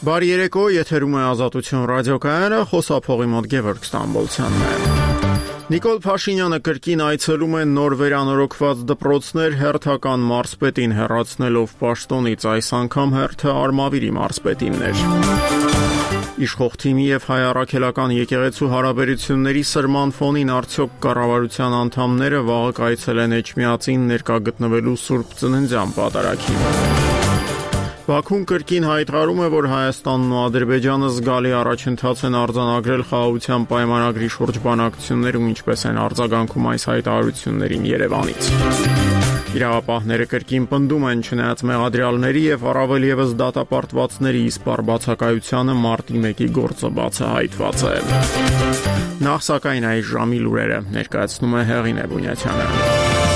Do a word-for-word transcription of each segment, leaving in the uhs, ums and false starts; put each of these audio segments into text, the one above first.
Բարի երեկո, եթերում է Ազատություն ռադիոկայանը, խոսափողի մոտ Գևորգ Ստամբոլցյանն է։ Նիկոլ Փաշինյանը կրկին այցելում է նոր վերանորոգված դպրոցներ, հերթական մարզպետին հեռացնելով պաշտոնից, այս անգամ հերթը Արմավիրի մարզպետինն էր։ Իշխող թիմի եւ հայ առաքելական եկեղեցու հարաբերությունների սրման ֆոնին արդյոք կառավարության անդամները վաղը կայցելեն Էջմիածին ներկա գտնվելու Սուրբ Ծննդյան պատարագին։ Բաքուն կրկին հայտարարում է, որ Հայաստանն ու Ադրբեջանը զգալի առաջընթաց են արձանագրել խաղաղության պայմանագրի շուրջ բանակցություններում, ինչպես են արձագանքում այս հայտարարություններին Երևանից։ Իրավապահները կրկին պնդում են, չնայած մեղադրյալների եւ առավել եւս դատապարտվածների իսպառ բացակայությանը, մարտի մեկի գործը բացահայտված է։ Նախ սակայն այս ժամի լուրերը ներկայացնում է Հեղինե Բունյացյանը։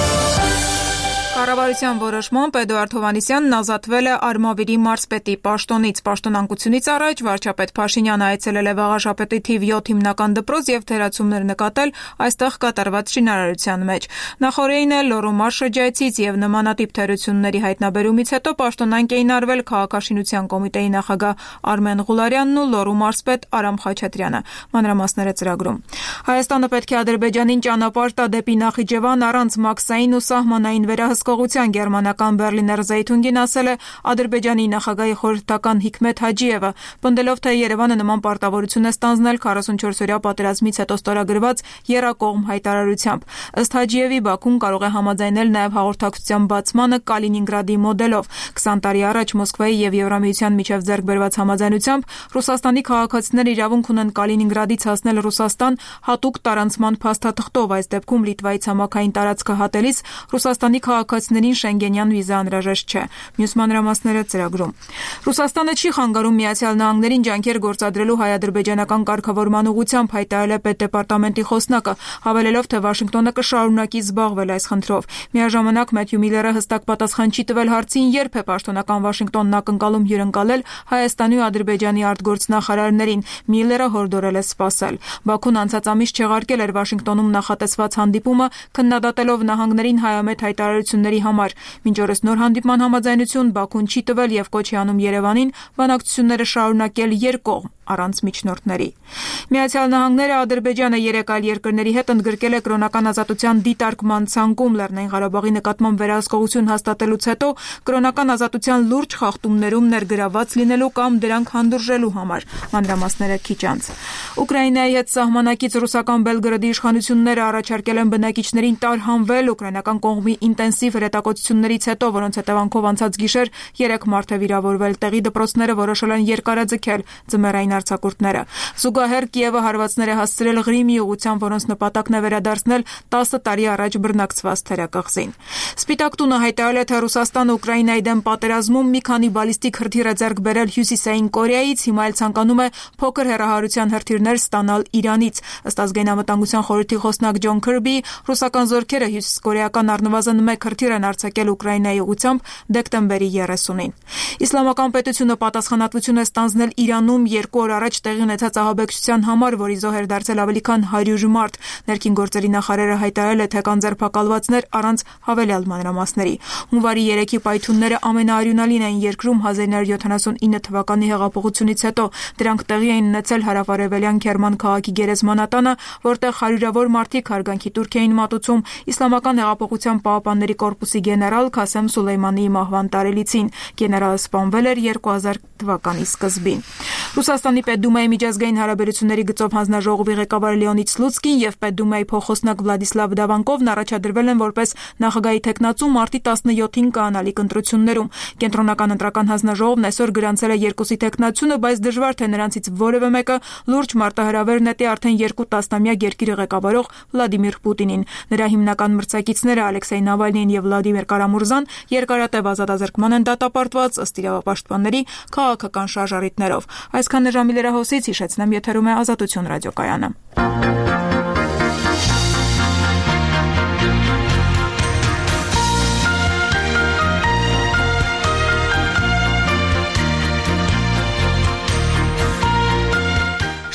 Կառավարության որոշմամբ Էդուարդ Հովհաննիսյանն ազատվել է Արմավիրի մարզպետի պաշտոնից։ Պաշտոնանկությունից առաջ վարչապետ Փաշինյանը այցելել է Վաղաշապետի թիվ յոթ հիմնական դպրոց եւ թերացումներ նկատել այստեղ կատարված շինարարության մեջ։ Նախորդին էլ Լոռու մարզ շրջայցից եւ նմանատիպ թերությունների հայտնաբերումից հետո պաշտոնանկ էին արվել քաղաքաշինության կոմիտեի նախագահ Արմեն Ղուլարյանն ու Լոռու մարզպետ Արամ Խաչատրյանը։ Մանրամասները ծրագրում։ Հայաստանը պետք է Ադրբեջանին ճանապարհ տա դեպի Նախիջևան առանց մաքսային ու սահմանային վերահսկողության։ Գերմանական Բերլիներ Զեյթունգին ասել է Ադրբեջանի նախագահի խորհրդական Հիկմեթ Հաջիևը, պնդելով, թե Երևանը նման պարտավորություն է ստանձնել քառասունչորսօրյա պատերազմից հետո ստորագրված եռակողմ հայտարարությամբ։ Ըստ Հաջիևի, Բաքուն կարող է համաձայնել նաև հաղորդակցության բացմանը Կալինինգրադի մոդելով։ քսան տարի առաջ Մոսկվայի եւ Եվրամիության միջև ձեռք բերված համաձայնությամբ Ռուսաստանի քաղաքացիները իրավունք ունեն Կալինինգրադից հասնել Ռուսաստան հատուկ տարանցման փաստաթղթով։ Այս դեպքում Լիտվայի ցամաքային տարածքը հատելիս Ռուսաստանի քաղաքացիներին շենգենյան վիզա անհրաժեշտ չէ։ Մյուս մանրամասները ծրագրում։ Ռուսաստանը չի խանգարում Միացյալ Նահանգներին ջանքեր գործադրելու հայ-ադրբեջանական կարգավորման ուղղությամբ, հայտարարել է պետդեպարտամենտի խոսնակը, հավելելով, թե Վաշինգտոնը կշարունակի զբաղվել այս խնդրով։ Միաժամանակ Մեթյու Միլլերը հստակ պատասխան չի տվել հարցին, երբ է պաշտոնական Վաշինգտոնն ակնկալում հյուրընկալել Հայաստանի ու Ադրբեջանի արտգործնախարարներին։ Միլլերը հորդորել է սպասել։ Բաքուն անցած ամիս չեղարկել էր Վաշինգտոնում նախատեսված հանդիպումը, քննադատելով նահանգներին հայամետ հայտարարությունների համար։ Մինչ օրս նոր հանդիպման համաձայնություն Բաքուն չի տվել եւ կոչ է անում Երևանին բանակցությունները շարունակել երկկողմ առանց միջնորդների։ Միացյալ Նահանգները Ադրբեջանը երեք այլ երկրների հետ ընդգրկել է կրոնական ազատության դիտարկման ցանկում Լեռնային Ղարաբաղի նկատմամբ վերահսկողություն հաստատելուց հետո կրոնական ազատության լուրջ խախտումներում ներգրավված լինելու կամ դրանք հանդուրժելու համար։ Մանրամասները քիչ անց։ Ուկրաինայի հետ սահմանակից ռուսական Բելգրադի իշխանությունները առաջարկել են բնակիչներին տարհանվել ուկրաինական կողմի ինտենսիվ հրետակոծություններից հետո, որոնց հետևանքով անցած գիշեր երեք մարդ է վիրավորվել։ Տեղի դպրոցները որոշել են երկարաձգել ձմեռային արձակուրդները։ Զուգահեռ Կիևը հարվածներ է հասցրել Ղրիմի ուղղությամբ, որոնց նպատակն է վերադարձնել տասը տարի առաջ բռնակցված թերակղզին։ Սպիտակ տունը հայտարարել է, թե Ռուսաստանը Ուկրաինայի դեմ պատերազմում մի քանի բալիստիկ հրթիռ է ձեռք բերել Հյուսիսային Կորեայից, հիմա էլ ցանկանում է փոքր հեռահարության հրթիռներ ստանալ Իրանից։ Ըստ ազգային անվտանգության խորհրդի խոսնակ Ջոն Քըրբի, ռուսական զորքերը հյուսիսկորեական առնվազն մեկ հրթիռ են արձակել Ուկրաինայի ուղղությամբ դեկտեմբերի երեսունին։ Իսլամական պետությունը պատասխանատվություն է ստանձնել Իրանում երկու օր առաջ տեղի ունեցած ահաբեկչության համար, որի զոհ էր դարձել ավելի քան հարյուր մարդ։ Ներքին գործերի նախարարը հայտարարել է, թե կան ձերբակալվածներ առանց հավելյալ մանրամասների։ Հունվարի երեքի պայթյունները ամենաարյունալին էին երկրում հազար ինը հարյուր յոթանասունինը թվականի հեղափոխությունից հետո։ Դրանք տեղի էին ունեցել հարավարևելյան Քերման քաղաքի գերեզմանատանը, որտեղ հարյուրավոր մարդիկ հարգանքի տուրք էին մատուցում Իսլամական հեղափոխության պահապանների կորպուսի գեներալ Քասեմ Սուլեյմանիի մահվան տարելիցին։ Գեներալը սպանվել էր երկու հազար թվականի սկզբին։ Ռուսաստանի Պետդումայի միջազգային հարաբերությունների գծով հանձնաժողովի ղեկավար Լեոնիդ Սլուցկին եւ Պետդումայի փոխոսնակ Վլադիսլավ Դավանկովն առաջադրվել են որպես նախագահի թեկնածու մարտի տասնյոթին կանալիք ընտրություններում։ Կենտրոնական ընտրական հանձնաժողովն այսօր գրանցել է երկուսի թեկնածությունը, բայց դժվար թե նրանցից որևէ մեկը լուրջ մարտահրավեր նետի արդեն երկու տասնամյակ երկիրը ղեկավարող Վլադիմիր Պուտինին։ Նրա հիմնական մրցակիցները Ալեքսեյ Նավալնին եւ Վլադիմիր Կարամուրզան երկարատև ազատազրկման են դատապարտված ըստ իրավապաշտպանների քաղաքական շարժառիթներով։ Այսքան է ժամի լրահոսից, հիշեցնեմ, եթերում է Ազատություն ռադիոկայանը։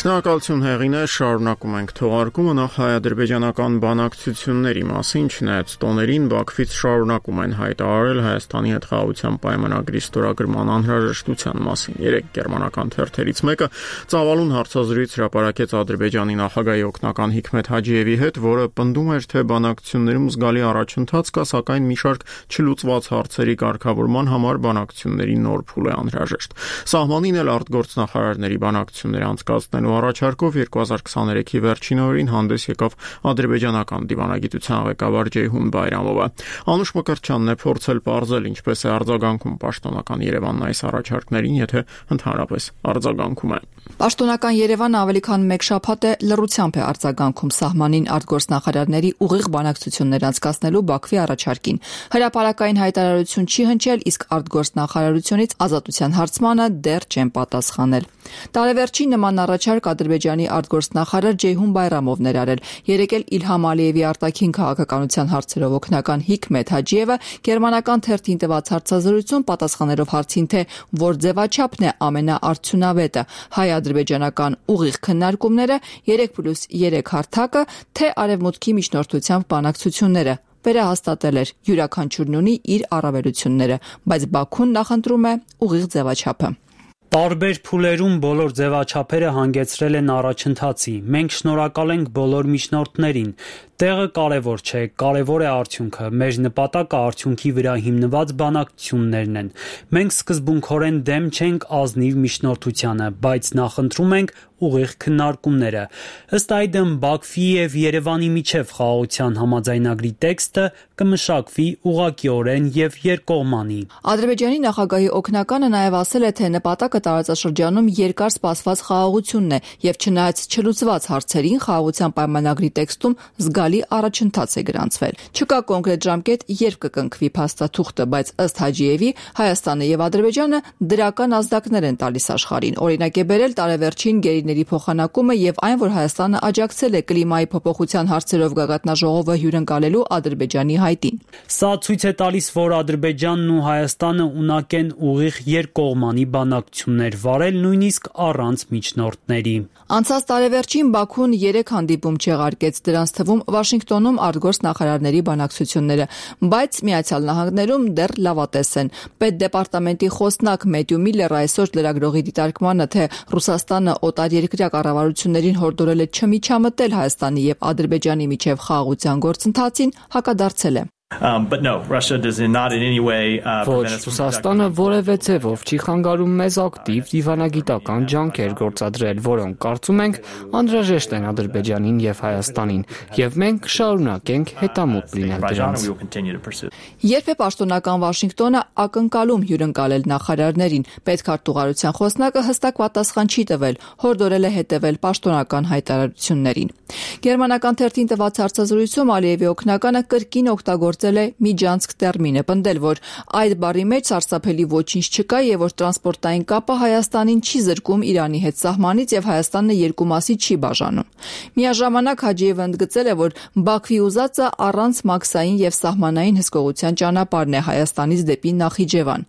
Շնորհակալություն Հեղինե, շարունակում ենք թողարկումը նախ հայ-ադրբեջանական բանակցությունների մասին, չնայած տոներին Բաքվից շարունակում են հայտարարել Հայաստանի հետ խաղաղության պայմանագրի ստորագրման անհրաժեշտության մասին։ Երեք գերմանական թերթերից մեկը ծավալուն հարցազրույց հրապարակեց Ադրբեջանի նախագահի օգնական Հիկմետ Հաջիևի հետ, որը պնդում էր, թե բանակցություններում զգալի առաջընթաց կա, սակայն մի շարք չլուծված հարցերի կարգավորման համար բանակցությունների նոր փուլ է անհրաժեշտ։ Սահմանին էլ արտգործնախարարների բանակցությունները անցկացնելու առաջարկով երկու հազար քսաներեքի վերջին օրերին հանդես եկավ ադրբեջանական դիվանագիտության ղեկավար Ջեյհուն Բայրամովը։ Անուշ Մկրտչյանն է փորձել պարզել ինչպես է արձագանքում պաշտոնական Երևանն այս առաջարկներին, եթե ընդհանրապես արձագանքում է։ Պաշտոնական Երևանը ավելի քան մեկ շաբաթ է լռությամբ է արձագանքում սահմանին արտգործնախարարների ուղիղ բանակցություններ անցկացնելու Բաքվի առաջարկին։ Հրապարակային հայտարարություն չի հնչել, իսկ արտգործնախարարությունից ազատության հարցմանը դեռ չեն պատասխանել։ Տարեվերջին նման առաջարկ Ադրբեջանի արտգործնախարար Ջեյհուն Բայրամովն էր արել։ Երեկ էլ Իլհամ Ալիևի արտաքին քաղաքականության հարցերով օգնական Հիկմետ Հաջիևը գերմանական թերթին տված հարցազրույցում պատասխանելով հարցին, թե որ ձևաչափն է ամենաարդյունավետը, հայ-ադրբեջանական ուղիղ քննարկումները, երեք պլյուս երեք հարթակը, թե արևմուտքի միջնորդությամբ բանակցությունները, վերահաստատել էր յուրաքանչյուրն ունի իր առավելությունները, բայց Բաքուն նախընտրում է ուղիղ ձևաչափը։ Տարբեր փուլերում բոլոր ձևաչափերը հանգեցրել են առաջընթացի։ Մենք շնորհակալ ենք բոլոր միջնորդներին։ Տեղը կարևոր չէ, կարևոր է արդյունքը։ Մեր նպատակը արդյունքի վրա հիմնված բանակցություններն են։ Մենք սկզբունքորեն դեմ չենք ազնիվ միջնորդությանը, բայց նախընտրում ենք ուղիղ քննարկումները։ Ըստ այդմ Բաքվի եւ Երևանի միջև խաղաղության համաձայնագրի տեքստը կմշակվի ուղղակիորեն եւ երկկողմանի։ Ադրբեջանի նախագահի օգնականը նաեւ ասել է, թե նպատակը տարածաշրջանում երկար սպասված խաղաղությունն է եւ չնայած չլուծված հարցերին խաղաղության պայմանագրի տեքստում զգալի առաջընթաց է գրանցվել։ Չկա կոնկրետ ժամկետ, երբ կկնքվի փաստաթուղթը, բայց ըստ Հաջիևի Հայաստանը եւ Ադրբեջանը դրական ազդակներ են տալիս աշխարհին։ Օրինակ է բերել տարեվերջին գերիների փոխանակումը եւ այն, որ Հայաստանը աջակցել է կլիմայի փոփոխության հարցերով գագաթնաժողովը հյուրընկալելու Ադրբեջանի հայտին։ Սա ցույց է տալիս, որ Ադրբեջանն ու Հայաստանը ունակ են ուղիղ երկկողմանի բանակցություններ վարել, նույնիսկ առանց միջնորդների։ Անցած տարեվերջին Բաքուն երեք հանդիպում չեղարկեց, դրանց թվում Վաշինգտոնում արտգործնախարարների բանակցությունները, բայց Միացյալ Նահանգներում դեռ լավատես են։ Պետդեպարտամենտի խոսնակ Մեթյու Միլլերը այսօր լրագրողի դիտարկմանը, թե Ռուսաստանը օտարերկրյա կառավարություններին հորդորել է չմիջամտել Հայաստանի եւ Ադրբեջանի միջև խաղաղության գործընթացին, հակադարձել է։ Um, but no, Russia does not in any way uh, Ոչ, Ռուսաստանը որևէ ձևով չի խանգարում մեզ ակտիվ դիվանագիտական ջանքեր գործադրել, որոնք կարծում ենք անհրաժեշտ են Ադրբեջանին եւ Հայաստանին, եւ մենք կշարունակենք հետամուտ լինել դրանց։ Երբ է պաշտոնական Վաշինգտոնը ակնկալում հյուրընկալել նախարարներին, պետքարտուղարության խոսնակը հստակ պատասխան չի տվել, հորդորել է հետևել պաշտոնական հայտարարություններին։ Գերմանական թերթին տված հարցազրույցում Ալիևի օգնականը կրկին օգտագործել է միջանցք տերմինը, պնդել, որ այդ բառի մեջ սարսափելի ոչինչ չկա եւ որ տրանսպորտային կապը Հայաստանին չի զրկում Իրանի հետ սահմանից եւ Հայաստանը երկու մասի չի բաժանում։ Միաժամանակ Հաջիևը ընդգծել է, որ Բաքվի ուզածը առանց մաքսային եւ սահմանային հսկողության ճանապարհն է Հայաստանից դեպի Նախիջևան։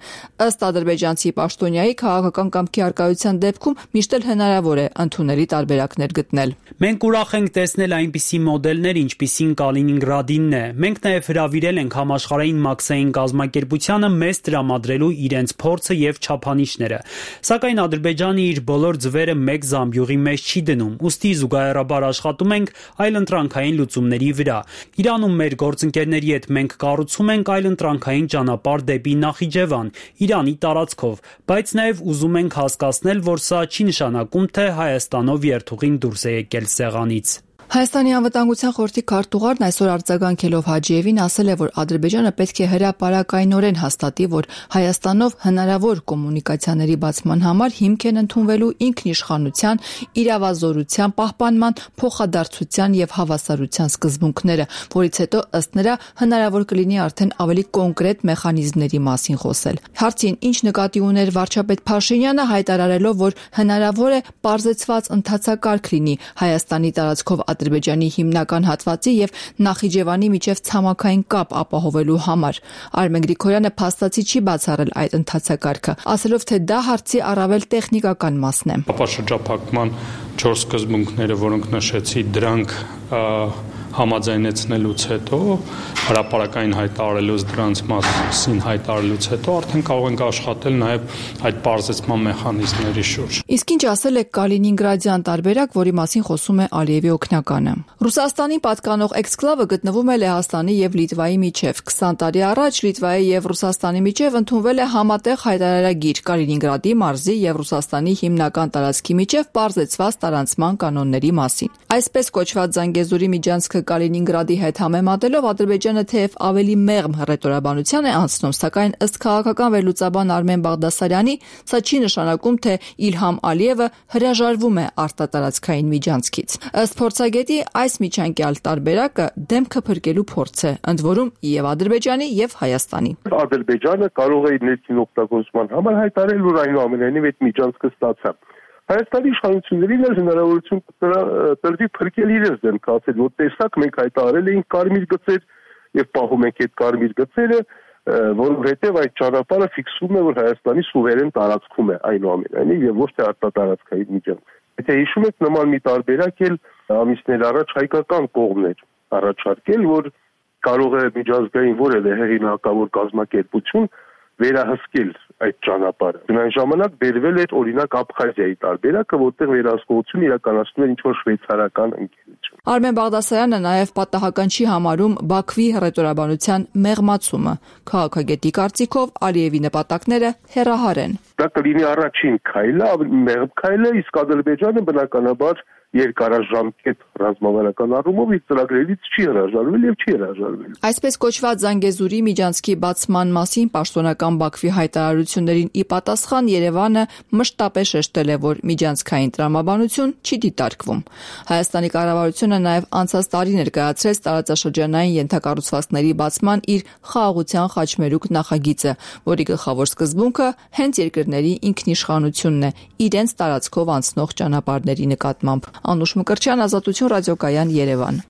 Ըստ ադրբեջանցի պաշտոնյայի քաղաքական կամքի արկայության դեպքում միշտ էլ հնարավոր է ընդունելի տարբերակներ գտնել։ Մենք ուրախ ենք տեսնել այնպիսի մոդելներ, ինչպիսին Կալինինգրադինն է։ Մենք նաեւ հրավիրել ենք համաշխարհային մաքսային կազմակերպությանը մեզ տրամադրելու իրենց փորձը եւ չափանիշները։ Սակայն Ադրբեջանը իր բոլոր ձվերը մեկ զամբյուղի մեջ չի դնում, ուստի զուգահեռաբար աշխատում ենք այլընտրանքային լուծումների վրա։ Իրանում մեր գործընկերների հետ մենք կառուցում ենք այլընտրանքային ճանապարհ դեպի Նախիջևան, Իրանի տարածքով, բայց նաեւ ուզում ենք հասկացնել, որ սա չի նշանակում, թե Հայաստանով երթուղին դուրս է եկել սեղանից։ Հայաստանի անվտանգության խորհրդի քարտուղարն այսօր արձագանքելով Հաջիևին ասել է, որ Ադրբեջանը պետք է հրապարակայնորեն հաստատի, որ Հայաստանով հնարավոր կոմունիկացիաների բացման համար հիմք են ընդունվելու ինքնիշխանության, իրավազորության պահպանման, փոխադարձության եւ հավասարության սկզբունքները, որից հետո ըստ նրա հնարավոր կլինի արդեն ավելի կոնկրետ մեխանիզմների մասին խոսել։ Հարցին ինչ նկատի ուներ վարչապետ Փաշինյանը, հայտարարելով, որ հնարավոր է պարզեցված ընթացակարգ լինի Հայաստանի տարածքով Ադրբեջանի հիմնական հատվածի եւ Նախիջևանի միջև ցամաքային կապ ապահովելու համար։ Արմեն Գրիգորյանը փաստացի չի բացառել այդ ընթացակարգը, ասելով, թե դա հարցի առավել տեխնիկական մասն է։ Ապաշրջափակման չորս սկզբունքները, որոնք նշեցի, դրանք համաձայնեցնելուց հետո, հրապարակային հայտարարելուց դրանց մասին հայտարարելուց հետո արդեն կարող ենք աշխատել նաև այդ պարզեցման մեխանիզմների շուրջ։ Իսկ ինչ ասել է Կալինինգրադյան տարբերակ, որի մասին խոսում է Ալիևի օգնականը։ Ռուսաստանի պատկանող էքսկլավը գտնվում է Լեհաստանի եւ Լիտվայի միջև։ քսան տարի առաջ Լիտվայի եւ Ռուսաստանի միջև ընդունվել է համատեղ հայտարարագիր Կալինինգրադի մարզի եւ Ռուսաստանի հիմնական տարածքի միջև պարզեցված տարանցման կանոնների մասին։ Այսպես կոչված Զանգեզուրի միջանցքը Կալինինգրադի հետ համեմատելով Ադրբեջանը թեև ավելի մեղմ հռետորաբանության է անցնում, սակայն ըստ քաղաքական վերլուծաբան Արմեն Բաղդասարյանի, սա չի նշանակում, թե Իլհամ Ալիևը հրաժարվում է արտատարածքային միջանցքից։ Ըստ փորձագետի, այս միջանկյալ տարբերակը դեմքը փրկելու փորձ է, ընդ որում եւ Ադրբեջանի եւ Հայաստանի։ Ադրբեջանը կարող է իր ներքին օգտագործման համար հայտարարել, որ այնուամենայնիվ այդ միջանցքը ստացա։ Հայաստանի իշխանություններին էլ հնարավորություն տրվի փրկել իրենց դեմքը, ասել, որ տեսակ մենք հայտարարել էինք կարմիր գծեր եւ պահում ենք այդ կարմիր գծերը, որովհետեւ այդ ճանապարհը ֆիքսում է, որ Հայաստանի սուվերեն տարածքում է այնուամենայնիվ եւ ոչ թե արտատարածքային միջանցք։ Եթե հիշում եք, նման մի տարբերակ էլ ամիսներ առաջ հայկական կողմն էր առաջարկել, որ կարող է միջազգային որևէ հեղինակավոր կազմակերպություն վերահսկել այդ ճանապարհը։ Այն ժամանակ բերվել էր օրինակ Աբխազիայի տարբերակը, որտեղ վերահսկողություն իրականացնում էր ինչ-որ շվեյցարական ընկերություն։ Արմեն Բաղդասարյանը նաև պատահական չի համարում Բաքվի հռետորաբանության մեղմացումը։ Քաղաքագետի կարծիքով Ալիևի նպատակները հեռահար են։ Դա կլինի առաջին քայլը, մեղմ քայլը, իսկ Ադրբեջանը բնականաբար երկարաժամկետ ռազմավարական առումով իր ծրագրերից չի հրաժարվել եւ չի հրաժարվել։ Այսպես կոչված Զանգեզուրի միջանցքի բացման մասին պաշտոնական Բաքվի հայտարարություններին ի պատասխան Երևանը մշտապես շեշտել է, որ միջանցքային տրամաբանություն չի դիտարկվում։ Հայաստանի կառավարությունը նաև անցած տարի ներկայացրեց տարածաշրջանային ենթակառուցվածքների բացման իր խաղաղության խաչմերուկ նախագիծը, որի գլխավոր սկզբունքը հենց երկրների ինքնիշխանությունն է իրենց տարածքով անցնող ճանապարհների նկատմամբ։ Անուշ Մկրտչյան, Ազատություն ռադիոկայան, Երևան։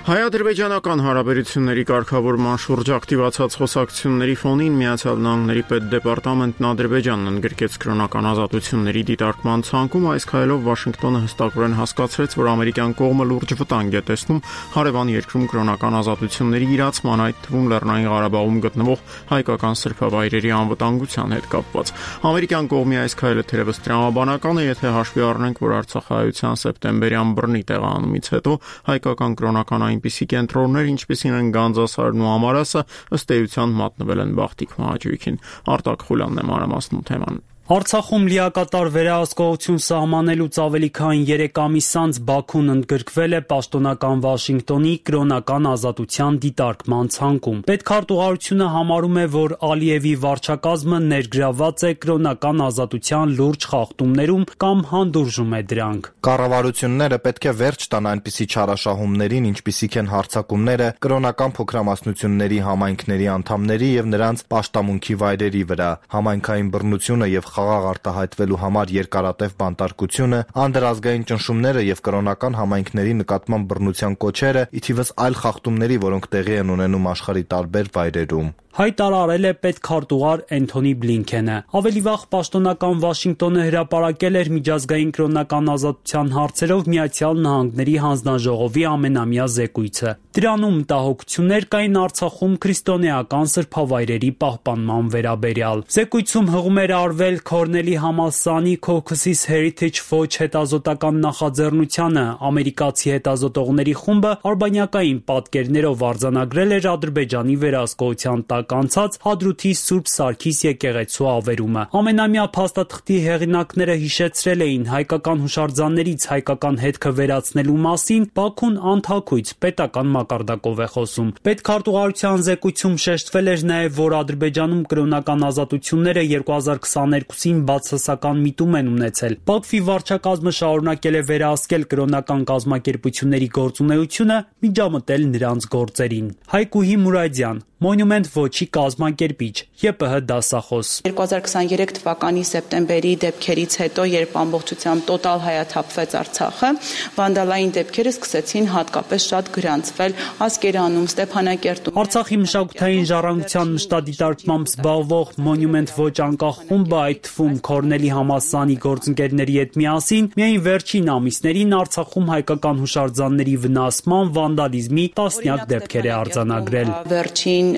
Հայ-ադրբեջանական հարաբերությունների կարգավորման շուրջ ակտիվացած խոսակցությունների ֆոնին Միացյալ Նահանգների պետդեպարտամենտն Ադրբեջանն ընդգրկեց կրոնական ազատությունների դիտարկման ցանկում, այս քայլով Վաշինգտոնը հստակորեն հասկացրեց, որ ամերիկյան կողմը լուրջ վտանգ է տեսնում հարևան երկրում կրոնական ազատությունների իրացման, այդ թվում Լեռնային Ղարաբաղում գտնվող հայկական սրբավայրերի անվտանգության հետ կապված։ Ամերիկյան կողմի այս քայլը թերևս տրամաբանական է, եթե հաշվի առնենք, որ արցախահայության սեպտեմբերյան բռնի տեղանումից հետո հայկական կրոնական այնպիսի կենտրոններ, ինչպիսին են Գանձասարն ու Ամարասը, ըստ էության մատնվել են Բախտիկ մահաճույքին։ Արտակ Խուլյանն է մանրամասնում թեման։ Արցախում լիակատար վերահսկողություն սահմանելուց ավելի քան երեք ամիս անց Բաքուն ընդգրկվել է պաշտոնական Վաշինգտոնի կրոնական ազատության դիտարկման ցանկում։ Պետքարտուղարությունը համարում է, որ Ալիևի վարչակազմը ներգրավված է կրոնական ազատության լուրջ խախտումներում կամ հանդուրժում է դրանք։ Կառավարությունները պետք է վերջ տան այնպիսի չարաշահումներին, ինչպիսիք են հարձակումները կրոնական փոքրամասնությունների համայնքների անդամների եւ նրանց պաշտամունքի վայրերի վրա, համայնքային բռնությունը եւ խաղաղ արտահայտվելու համար երկարատև բանտարկությունը, անդրազգային ճնշումները եւ կրոնական համայնքների նկատմամբ բռնության կոչերը, ի թիվս այլ խախտումների, որոնք տեղի են ունենում աշխարհի տարբեր վայրերում։ Հայտարարել է պետքարտուղար Էնթոնի Բլինքենը։ Ավելի վաղ պաշտոնական Վաշինգտոնը հրապարակել էր միջազգային կրոնական ազատության հարցերով Միացյալ Նահանգների հանձնաժողովի ամենամյա զեկույցը։ Դրանում մտահոգություններ կային Արցախում քրիստոնեական սրբավայրերի պահպանման վերաբերյալ։ Զեկույցում հղում էր արվել Քորնելի համալսարանի Caucasus Heritage Watch հետազոտական նախաձեռնությանը, ամերիկացի հետազոտողների խումբը արբանյակային պատկերներով արձանագրել էր Ադրբեջանի վերահսկողության տակ անցած Հադրութի Սուրբ Սարգիս եկեղեցու ավերումը։ Ամենամյա փաստաթղթի հեղինակները հիշեցրել էին հայկական հուշարձաններից հայկական հետքը վերացնելու մասին Բաքուն անթաքույց պետական մակարդակով է խոսում։ Պետքարտուղարության զեկույցում շեշտվել էր նաև, որ Ադրբեջանում կրոնական ազատությունները երկու հազար քսաներկուսին բացասական միտում են ունեցել։ Բաքվի վարչակազմը շարունակել է վերահսկել կրոնական կազմակերպությունների գործունեությունը, միջամտել նրանց գործերին։ Հայկուհի Մուրադյան, Monument Watch ոչի կազմակերպիչ, ԵՊՀ դասախոս։ երկու հազար քսաներեք թվականի սեպտեմբերի դեպքերից հետո, երբ ամբողջությամբ տոտալ հայաթափվեց Արցախը, վանդալային դեպքերը սկսեցին հատկապես շատ գրանցվել Ասկերանում, Ստեփանակերտում։ Արցախի մշակութային ժառանգության մշտադիտարկմամբ զբաղվող Մոնումենտ ոչ անկախ խումբը, այդ թվում Քորնելի համալսարանի գործընկերների հետ միասին, միայն վերջին ամիսներին Արցախում հայկական հուշարձանների վնասման, վանդալիզմի տասնյակ դեպքեր է արձանագրել։ Վերջին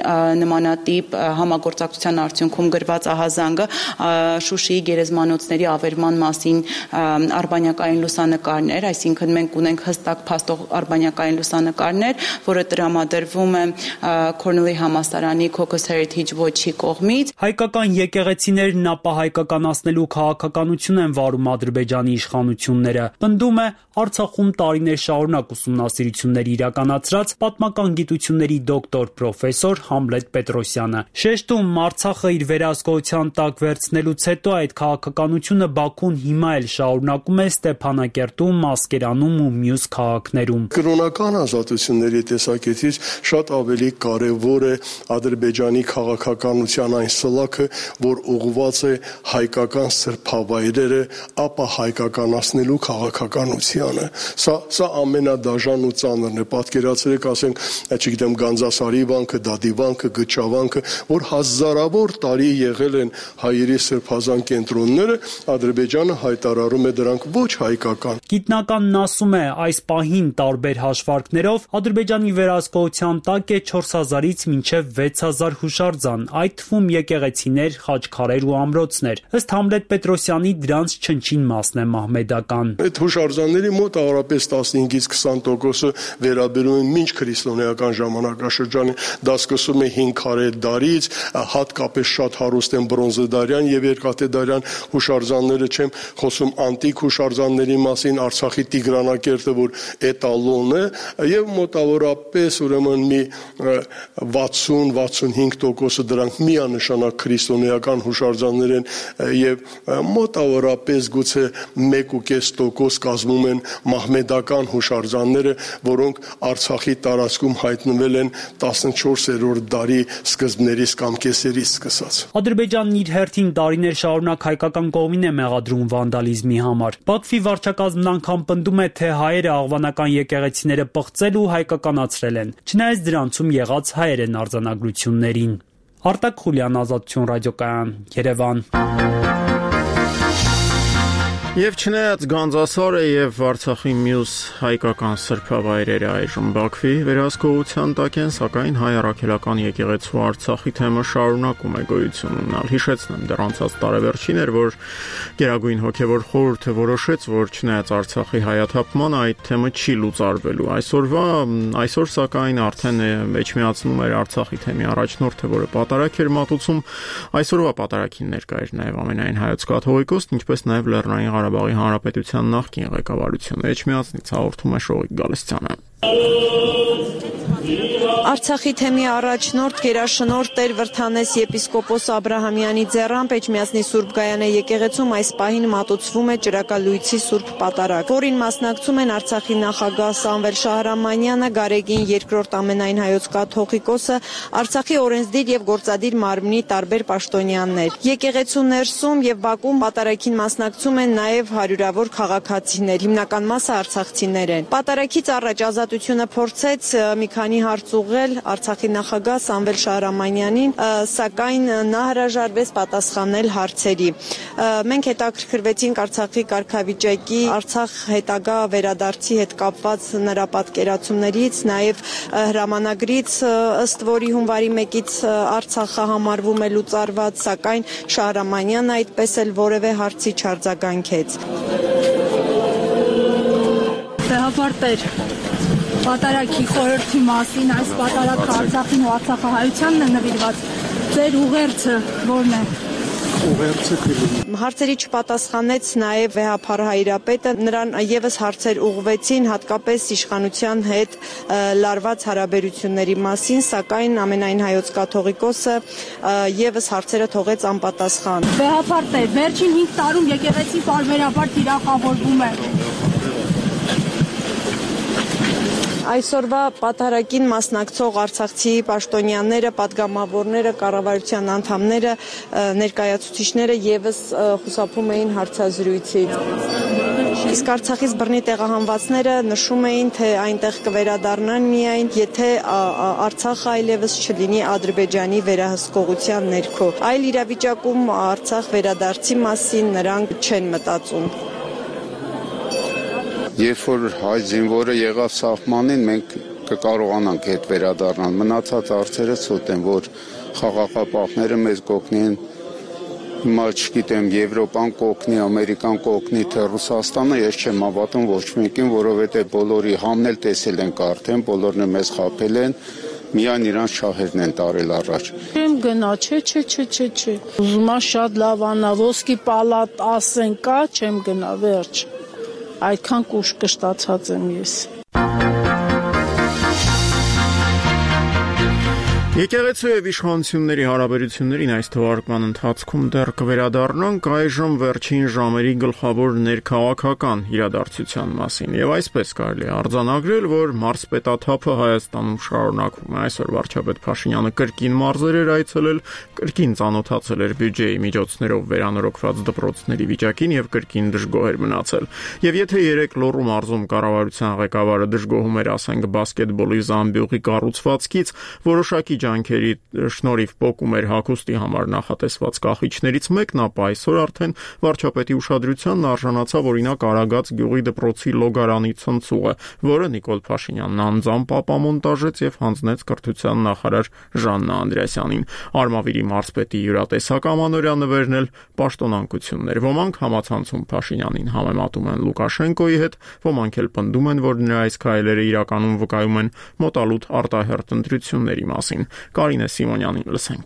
նմանատիպ համագործակցության արդյունքում գրված ահազանգը Շուշիի գերեզմանոցների ավերման մասին արբանյակային լուսանկարներ, այսինքն մենք ունենք հստակ փաստող արբանյակային լուսանկարներ, որը տրամադրվում է Քորնելի համալսարանի Caucus Heritage Watch-ի կողմից։ Հայկական եկեղեցիներն ապա հայկականացնելու քաղաքականություն են վարում Ադրբեջանի իշխանությունները։ Պնդում է Արցախում տարիներ շարունակ ուսումնասիրություններ իրականացրած պատմական գիտությունների դոկտոր պրոֆեսոր Համլետ Պետրոսյանը։ Շեշտում Արցախը իր վերահսկողության տակ վերցնելուց հետո այդ քաղաքականությունը Բաքուն հիմա էլ շարունակում է Ստեփանակերտում, Ասկերանում ու մյուս քաղաքներում։ Կրոնական ազատությունների տեսակետից շատ ավելի կարևոր է Ադրբեջանի քաղաքականության այն սլաքը, որ ուղղված է հայկական սրբավայրերը ապա հայկականացնելու քաղաքականությանը։ Սա սա ամենադաժան ու ծանրն է։ Պատկերացրեք, ասենք, չգիտեմ, Գանձասարի վանքը, Դադի վանքը, Գճավանքը, որ հազարավոր տարի եղել են հայերի սրբազան կենտրոնները, Ադրբեջանը հայտարարում է դրանք ոչ հայկական։ Գիտնականն ասում է, այս պահին տարբեր հաշվարկներով Ադրբեջանի վերահսկողության տակ է չորս հազարից մինչև վեց հազար հուշարձան, այդ թվում եկեղեցիներ, խաչքարեր ու ամրոցներ։ Ըստ Համլետ Պետրոսյանի դրանց չնչին մասն է մահմեդական։ Այդ հուշարձանների մոտ առապես տասնհինգից քսան տոկոսը վերաբերում են մինչ քրիստոնեական ժամանակաշրջանին, դա սկսում է հինգ դարից, հատկապես շատ հարուստ են բրոնզեդարյան եւ երկաթեդարյան հուշարձանները, չեմ խոսում անտիկ հուշարձանների մասին, Արցախի Տիգրանակերտը, որ էտալոն է, եւ մոտավորապես ուրեմն մի վաթսուն վաթսունհինգ տոկոսը դրանք միանշանակ քրիստոնեական հուշարձաններ են եւ մոտավորապես գուցե մեկ ու կես տոկոս կազմում են մահմեդական հուշարձանները, որոնք Արցախի տարածքում հայտնվել են տասնչորսերորդ դարի սկզբներից կամ կեսերից սկսած։ Ադրբեջանն իր հերթին տարիներ շարունակ հայկական կողմին է մեղադրում վանդալիզմի համար։ Բաքվի վարչակազմն անգամ պնդում է, թե հայերը աղվանական եկեղեցիները պղծել ու հայկականացրել են, չնայած դրանցում եղած հայեր են արձանագրություններին։ Արտակ Խուլյան, Ազատություն ռադիոկայան, Երևան։ Եվ չնայած Գանձասարը եւ Արցախի մյուս հայկական սրբավայրերը այժմ Բաքվի վերահսկողության տակ են, սակայն հայ առաքելական եկեղեցու Արցախի թեմը շարունակում է գոյություն ունենալ։ Հիշեցնեմ, դեռ անցած տարեվերջին էր, որ Գերագույն հոգևոր խորհուրդը որոշեց, որ չնայած Արցախի հայաթափմանը այդ թեմը չի լուծարվելու։ Այսօրվա այսօր սակայն արդեն մեջմիացնում էր Արցախի թեմի առաջնորդը, որը պատարակ էր մատուցում։ Այսօրվա պատարակին ներկա էր նաեւ ամենայն հայոց կաթողիկոսն, ինչպես նաեւ Լեռնային Ղարաբաղի Հանրապետության նախկին ղեկավարությունը։ Էջմիածնից հաղորդում է Շողիկ Գալստյանը։ Արցախի թեմի առաջնորդ գերաշնորհ Տեր Վրթանես եպիսկոպոս Աբրահամյանի ձեռամբ Էջմիածնի Սուրբ Գայանե եկեղեցում այս պահին մատուցվում է Ճրակալույցի Սուրբ Պատարակ, որին մասնակցում են Արցախի նախագահ Սամվել Շահրամանյանը, Գարեգին երկրորդ ամենայն հայոց կաթողիկոսը, Արցախի օրենսդիր եւ գործադիր մարմնի տարբեր պաշտոնյաներ։ Եկեղեցու ներսում եւ Բաքվում պատարակին մասնակցում են նաեւ հարյուրավոր քաղաքացիներ, հիմնական մասը արցախցիներ են։ Պատարակից առաջ Ազատությունը փորձեց մի քանի հարց ուղղել Արցախի նախագահ Սամվել Շահրամանյանին, սակայն նա հրաժարվեց պատասխանել հարցերի։ Մենք հետաքրքրվեցինք Արցախի կարգավիճակի, Արցախ հետագա վերադարձի հետ կապված նրա պատկերացումներից, նաև հրամանագրից, ըստ որի հունվարի մեկից Արցախը համարվում է լուծարված, սակայն Շահրամանյանը այդպես էլ որևէ հարցի չարձագանքեց։ Տեղապարտեր Պատարակի խորհրդի մասին, այս պատարակը Արցախին ու Արցախահայությանն է նվիրված, ձեր ուղերձը որն է։ Հարցերի չպատասխանեց նաև վեհափառ հայրապետը, նրան եւս հարցեր ուղղվեցին հատկապես իշխանության հետ լարված հարաբերությունների մասին, սակայն ամենայն հայոց կաթողիկոսը եւս հարցերը թողեց անպատասխան։ Վեհափառ Տեր, վերջին հինգ տարում եկեղեցին պարբերաբար թիրախավորվում է։ Այսօրվա պատարագին մասնակցող արցախցի պաշտոնյաները, падգամավորները, կառավարության անդամները, ներկայացուցիչները եւս խուսափում էին հարցազրույցից։ Իսկ Արցախից բռնի տեղահանվածները նշում էին, թե այնտեղ կվերադառնան միայն, եթե Արցախը այլևս չլինի Ադրբեջանի վերահսկողության ներքո։ Այլ իրավիճակում Արցախ վերադարձի մասին նրանք չեն մտածում։ Երբ որ հայ զինվորը եղավ սահմանին, մենք կկարողանանք հետ վերադառնալ։ Մնացած հարցերը ցույց են, որ խաղաղապահները մեզ կօգնեն։ Հիմա չգիտեմ, Եվրոպան կօգնի, Ամերիկան կօգնի, թե Ռուսաստանը, ես չեմ հավատում ոչ մեկին, որովհետև բոլորի համն էլ տեսել ենք արդեն, բոլորն մեզ խաբել են, միայն իրանց շահերն են տարել առաջ։ Չեմ գնա, չէ, չէ, չէ, չէ, չէ։ Ուզում եմ շատ լավ անա, ոսկի պալատ ասեն կա, չեմ գնա, վերջ։ Այդքան կուշ կշտացած եմ ես։ Եկեղեցու եւ իշխանությունների հարաբերություններին այս թվարկման ընթացքում դեռ կվերադառնանք այժմ վերջին ժամերի գլխավոր ներքաղաքական իրադարձության մասին եւ այսպես կարելի է արձանագրել, որ մարզպետաթափը Հայաստանում շարունակվում է։ Այսօր վարչապետ Փաշինյանը կրկին մարզեր էր այցելել, կրկին ծանոթացել էր բյուջեի միջոցներով վերանորոգված դպրոցների վիճակին եւ կրկին դժգոհ էր մնացել։ Եվ եթե երեք Լոռու մարզում կառավարության ղեկավարը դժգոհում էր, ասենք, բասկետբոլի զամբյուղի կառուցվածքից, որոշակի ջանքերի շնորհիվ պոկում էր հագուստի համար նախատեսված կախիչներից մեկն, ապա այսօր արդեն վարչապետի ուշադրությանն արժանացավ օրինակ Արագած գյուղի դպրոցի լոգարանի ցնցուղը, որը Նիկոլ Փաշինյանն անձամբ ապամոնտաժեց եւ հանձնեց կրթության նախարար Ժաննա Անդրեասյանին։ Արմավիրի մարզպետի յուրատեսակ ամանորյա նվերն էլ պաշտոնանկություններ։ Ոմանք համացանցում Փաշինյանին համեմատում են Լուկաշենկոյի հետ, ոմանք էլ պնդում են, որ նրա այս քայլերը իրականում վկայում են մոտալուտ արտահերթ ընտրությունների մասին։ Կարինե Սիմոնյանին լսենք։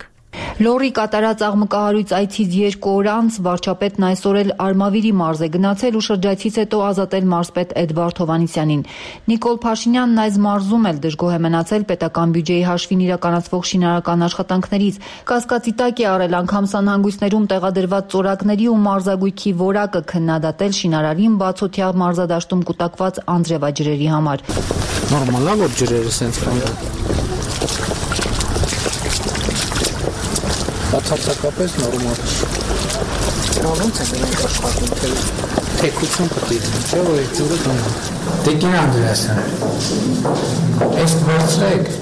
Լոռի կատարած աղմկահարույց այցից երկու օր անց վարչապետն այսօր էլ Արմավիրի մարզ է գնացել ու շրջայցից հետո ազատել մարզպետ Էդվարդ Հովհաննիսյանին։ Նիկոլ Փաշինյանն այս մարզում էլ դժգոհ է մնացել պետական բյուջեի հաշվին իրականացվող շինարարական աշխատանքներից։ Կասկածի տակ է արել անգամ սանհանգույցներում տեղադրված ծորակների ու մարզագույքի որակը քննադատել շինարարին բացօթյա մարզադաշտում կուտակված անձրևաջրերի համար։ Նորմալ է, որ ջրերը սենց կան։ Բացարձակապես նորմալ է։ Ոնց է դրանք աշխատում, թե թեկություն պետք է լինի, չէ՞ որ այդ ջուրը դառնա։ Տիկին Անդրեասյան, այս վերցրեք,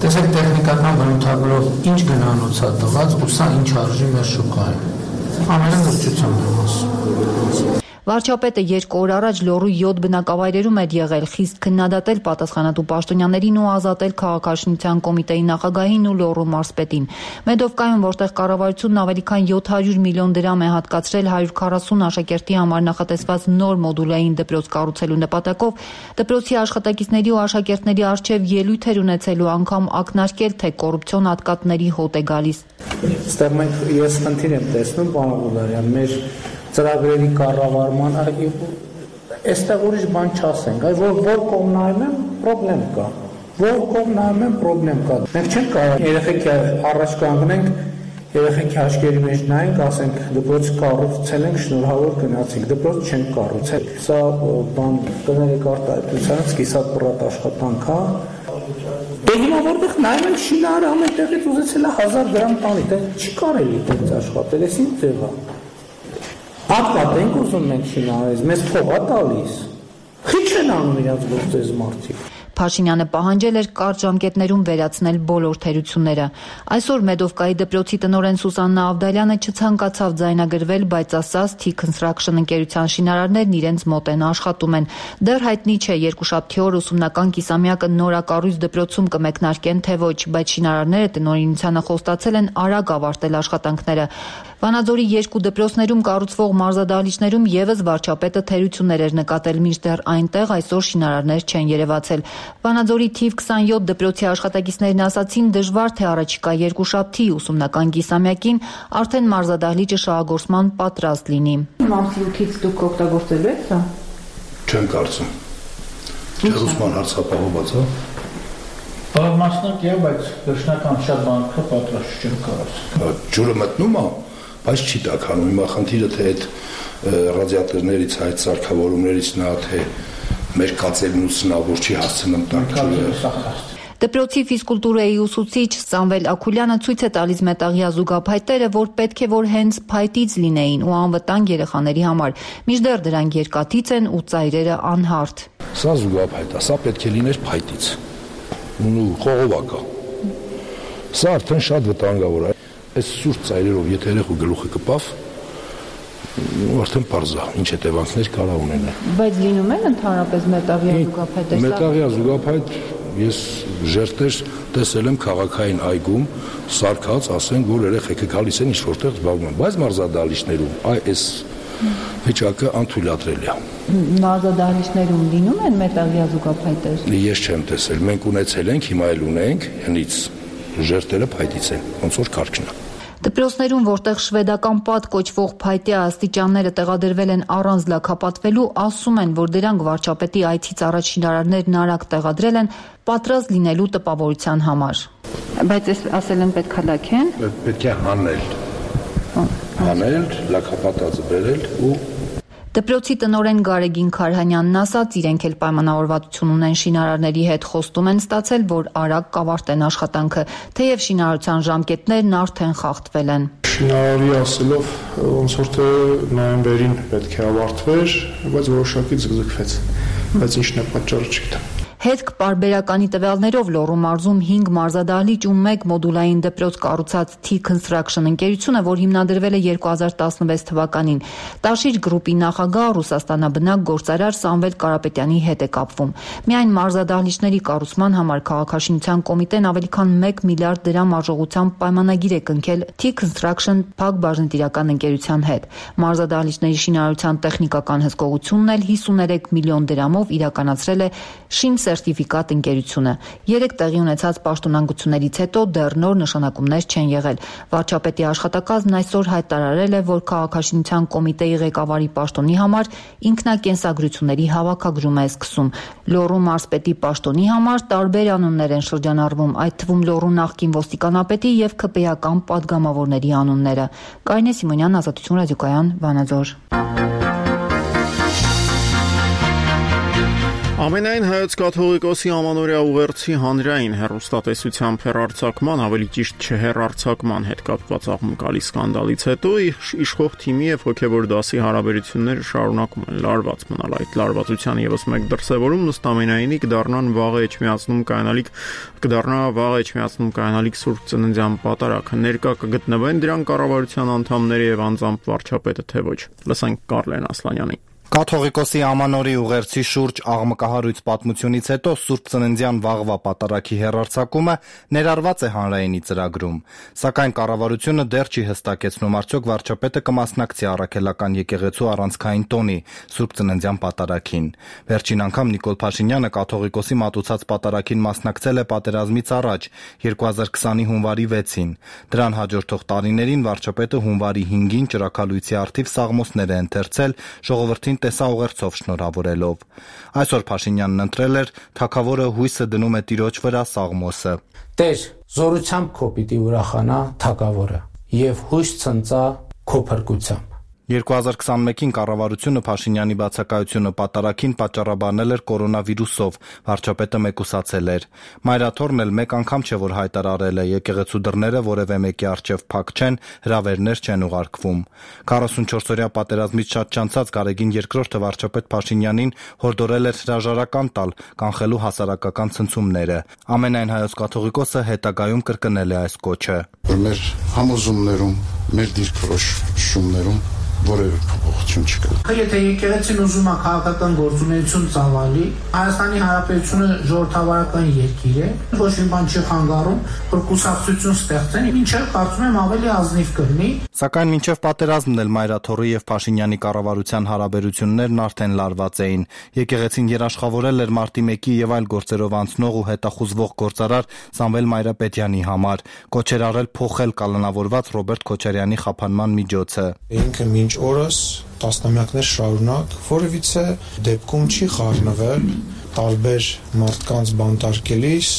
տեսեք տեխնիկական բնութագրով ինչ գնանոց է տված ու սա ինչ արժի մեր շուկայում։ Ամենալրջությամբ եմ ասում։ Վարչապետը երկու օր առաջ Լոռու յոթ բնակավայրերում էր եղել, խիստ քննադատել պատասխանատու պաշտոնյաներին ու ազատել քաղաքաշինության կոմիտեի նախագահին ու Լոռու մարզպետին։ Մեդովկայում, որտեղ կառավարությունն ավելի քան յոթ հարյուր միլիոն դրամ է հատկացրել հարյուր քառասուն աշակերտի համար նախատեսված նոր մոդուլային դպրոց կառուցելու նպատակով, դպրոցի աշխատակիցների ու աշակերտների առջև ելույթ էր ունեցելու, անգամ ակնարկել, թե կոռուպցիոն ատկատների հոտ է գալիս։ Ստեղ մենք ես խնդիր եմ տեսնում, պարոն Ղուլարյան, մեր ծրագրերի կառավարման, այստեղ ուրիշ բան չասենք, այ որ որ կողմ նայում եմ, պրոբլեմ կա, որ կողմ նայում եմ, պրոբլեմ կա։ Մենք չենք կարող երեխեքի առաջ կանգնենք, երեխեքի աչքերի մեջ նայենք, ասենք դպրոց կառուցել ենք, շնորհավոր գնացինք, դպրոց չենք կառուցել։ Սա բան կներեք արտահայտությունից կիսատ պրատ աշխատանք է։ Դե հիմա որտեղ նայում ենք շինարարը ամեն տեղից ուզեցել է հազար դրամ տանի, դա չի կարելի դից աշխատել, էս ինչ ձև է։ Հատկատենք ուզում ենք շինարարից, մեզ փող է տալիս։ Խիչ են անում իրաց գործез մարդիկ։ Փաշինյանը պահանջել էր կարճ ժամկետներում վերացնել բոլոր թերությունները։ Այսօր Մեդովկայի դպրոցի տնօրեն Սուսաննա Ավդալյանը չցանկացավ ձայնագրվել, բայց ասաց T Construction ընկերության շինարարներն իրենց մոտ են, աշխատում են։ Դեռ հայտնի չէ երկուշաբթի օր ուսումնական կիսամյակը նորակառույց դպրոցում կմեկնարկեն, թե ոչ, բայց շինարարները տնօրինությանը խոստացել են արագ ավարտել աշխատանքները։ Վանաձորի երկու դպրոցներում կառուցվող մարզադահլիճներում եւս վարչապետը թերություններ էր նկատել, մինչդեռ այնտեղ այսօր շինարարներ չեն երևացել։ Վանաձորի թիվ քսանյոթ դպրոցի աշխատակիցներն ասացին, դժվար թե առաջիկա երկուշաբթի ուսումնական կիսամյակին արդեն մարզադահլիճը շահագործման պատրաստ լինի։ Մարտիրուքից դուք օգտագործելու եք սա։ Չեմ կարծում։ Ուսման հարցապահոված է։ Բավ մասնակ է, բայց վերջնական շատ բանկը պատրաստ չեմ կարծում։ Ջուրը մտնում է, բայց չի տաքանում։ Հիմա խնդիրը թե այդ ռադիատորներից, այդ սարքավորումներից նա թե մեր կացելն ու սնավոր չի հասցնում տանք։ Դպրոցի ֆիզկուլտուրայի ուսուցիչ Սամվել Աքուլյանը ցույց է տալիս մետաղյա զուգափայտերը, որ պետք է որ հենց փայտից լինեին ու անվտանգ երեխաների համար, մինչդեռ դրանք երկաթից են ու ծայրերը անհարթ։ Սա զուգափայտ է, սա պետք է լիներ փայտից։ Ու խողովակա։ Սա արդեն շատ վտանգավոր է։ Այս սուրճ ծայրերով եթե երեխու գլուխը կպավ, արդեն պարզ է, ինչ հետևանքներ կարող ունենա։ Բայց լինում են ընդհանրապես մետաղյա զուգափայտեր։ Մետաղյա զուգափայտ ես ժերտեր տեսել եմ քաղաքային այգում, սարքած, ասենք, որ երեխեքը գալիս են ինչ-որտեղ զբաղվում, բայց մարզադահլիճներում այս վիճակը անթույլատրելի է։ Մարզադահլիճներում լինում են մետաղյա զուգափայտեր։ Ես չեմ տեսել, մենք ունեցել ենք, հիմա էլ ունենք, հնից ժերտերը փայտից են, ոնց որ կարգն է։ Դպրոցներում, որտեղ շվեդական պատ կոչվող փայտյա աստիճանները տեղադրվել են առանց լաքապատվելու, ասում են, որ դրանք վարչապետի այցից առաջ շինարարներն արագ տեղադրել են պատրաստ լինելու տպավորության համար։ Բայց այս ասել են պետք է լաքեն։ Պետք է հանել։ Հանել, լաքապատած բերել ու Դպրոցի տնօրեն Գարեգին Քարհանյանն ասաց, իրենք էլ պայմանավորվածություն ունեն շինարարների հետ, խոստում են ստացել, որ արագ կավարտեն աշխատանքը, թեև շինարարության ժամկետներն արդեն խախտվել են։ Շինարարի ասելով, ոնց որ թե նոյեմբերին պետք է ավարտվեր, բայց որոշակի ձգձգվեց, բայց ինչն է պատճառը չգիտեմ։ Հետք պարբերականի տվյալներով Լոռու մարզում հինգ մարզադահլիճ ու մեկ մոդուլային դպրոց կառուցած T-Construction ընկերությունը, որ հիմնադրվել է երկու հազար տասնվեց թվականին, Տաշիր գրուպի նախագահ ռուսաստանաբնակ գործարար Սամվել Կարապետյանի հետ է կապվում։ Միայն մարզադահլիճների կառուցման համար քաղաքաշինության կոմիտեն ավելի քան մեկ միլիարդ դրամ արժողությամբ պայմանագիր է կնքել T-Construction փակ բաժնետիրական ընկերության հետ։ Մարզադահլիճների շինարարության տեխնիկական հսկողությունն էլ հիսուներեք միլիոն դրամով իրականացրել է Շին սերտիֆիկատ ընկերությունը։ Երեք տեղի ունեցած պաշտոնանկություններից հետո դեռ նոր նշանակումներ չեն եղել։ Վարչապետի աշխատակազմն այսօր հայտարարել է, որ քաղաքաշինության կոմիտեի ղեկավարի պաշտոնի համար ինքնակենսագրությունների հավաքագրում է սկսում։ Լոռու մարզպետի պաշտոնի համար տարբեր անուններ են շրջանառվում, այդ թվում Լոռու նախկին ոստիկանապետի եւ ՔՊ-ական պատգամավորների անունները։ Կարինե Սիմոնյան, Ազատություն ռադիոկայան, Վանաձոր։ Ամենայն հայոց կաթողիկոսի ամանորյա ուղերձի հանրային հեռուստատեսությամբ հեռարձակման, ավելի ճիշտ չհեռարձակման հետ կապված աղմկալի սկանդալից հետո իշխող թիմի եւ հոգեվոր դասի հարաբերությունները շարունակում են լարված մնալ։ Այդ լարվածության եւս մեկ դրսեւորում նստամենայինի կդառնան վաղը էջմիածնում կայանալիք կդառնա վաղը էջմիածնում կայանալիք Սուրբ Ծննդյան պատարագը։ Ներկա կգտնվեն դրան կառավարության անդամները եւ անձամբ վարչապետը թե ոչ։ Լսենք Կարլեն Ասլանյանին։ Կաթողիկոսի ամանորի ուղերձի շուրջ աղմկահարույց պատմությունից հետո Սուրբ Ծննդյան վաղվա պատարագի հեռարձակումը ներառված է հանրայինի ծրագրում, սակայն կառավարությունը դեռ չի հստակեցնում արդյոք վարչապետը կմասնակցի առաքելական եկեղեցու առանցքային տոնի Սուրբ Ծննդյան պատարագին։ Վերջին անգամ Նիկոլ Փաշինյանը կաթողիկոսի մատուցած պատարագին մասնակցել է պատերազմից առաջ երկու հազար քսանի հունվարի վեցին։ Դրան հաջորդող տարիներին վարչապետը հունվարի հինգին ճրագալույցի առթիվ սաղմոսներ է ընթերցել ժողովրդին տեսաուղերձով շնորհավորելով։ Այսօր Փաշինյանն ընտրել էր թագավորը հույսը դնում է Տիրոջ վրա սաղմոսը։ Տեր, զորությամբ քո պիտի ուրախանա թագավորը եւ հույս ցնծա քո փրկությամբ։ երկու հազար քսանմեկին կառավարությունը Փաշինյանի բացակայությունը պատարագին պատճառաբանել էր կորոնավիրուսով, վարչապետը մեկուսացել էր։ Մայրաթորն էլ մեկ անգամ չէ որ հայտարարել է եկեղեցու դռները որևէ մեկի առջև փակ չեն, հրավերներ չեն ուղարկվում։ քառասունչորս-օրյա պատերազմից շատ չանցած Գարեգին երկրորդը վարչապետ Փաշինյանին հորդորել էր հրաժարական տալ, կանխելու հասարակական ցնցումները։ Ամենայն հայոց կաթողիկոսը հետագայում կրկնել է այս կոչը։ Մեր համոզումներում, մեր դիրքորոշումներում որևէ փոփոխություն չկա։ Եթե եկեղեցին ուզում է քաղաքական գործունեություն ծավալի, Հայաստանի Հանրապետությունը ժողովրդավարական երկիր է, ոչ մի բան չի խանգարում, որ կուսակցություն ստեղծեն, ինչը կարծում եմ ավելի ազնիվ կլինի։ Սակայն մինչև պատերազմն էլ Մայրաթորի եւ Փաշինյանի կառավարության հարաբերություններն արդեն լարված էին։ Եկեղեցին երաշխավորել էր մարտի մեկի եւ այլ գործերով անցնող ու հետախուզվող գործարար Սամվել Մայրապետյանի համար, կոչեր արել փոխել կալանավորված Ռոբերտ Քոչարյանի խափանման միջոցը։ Ինքը մինչ օրս տասնամյակներ շարունակ որևիցե դեպքում չի խառնվել տարբեր մարդկանց բանտարկելիս,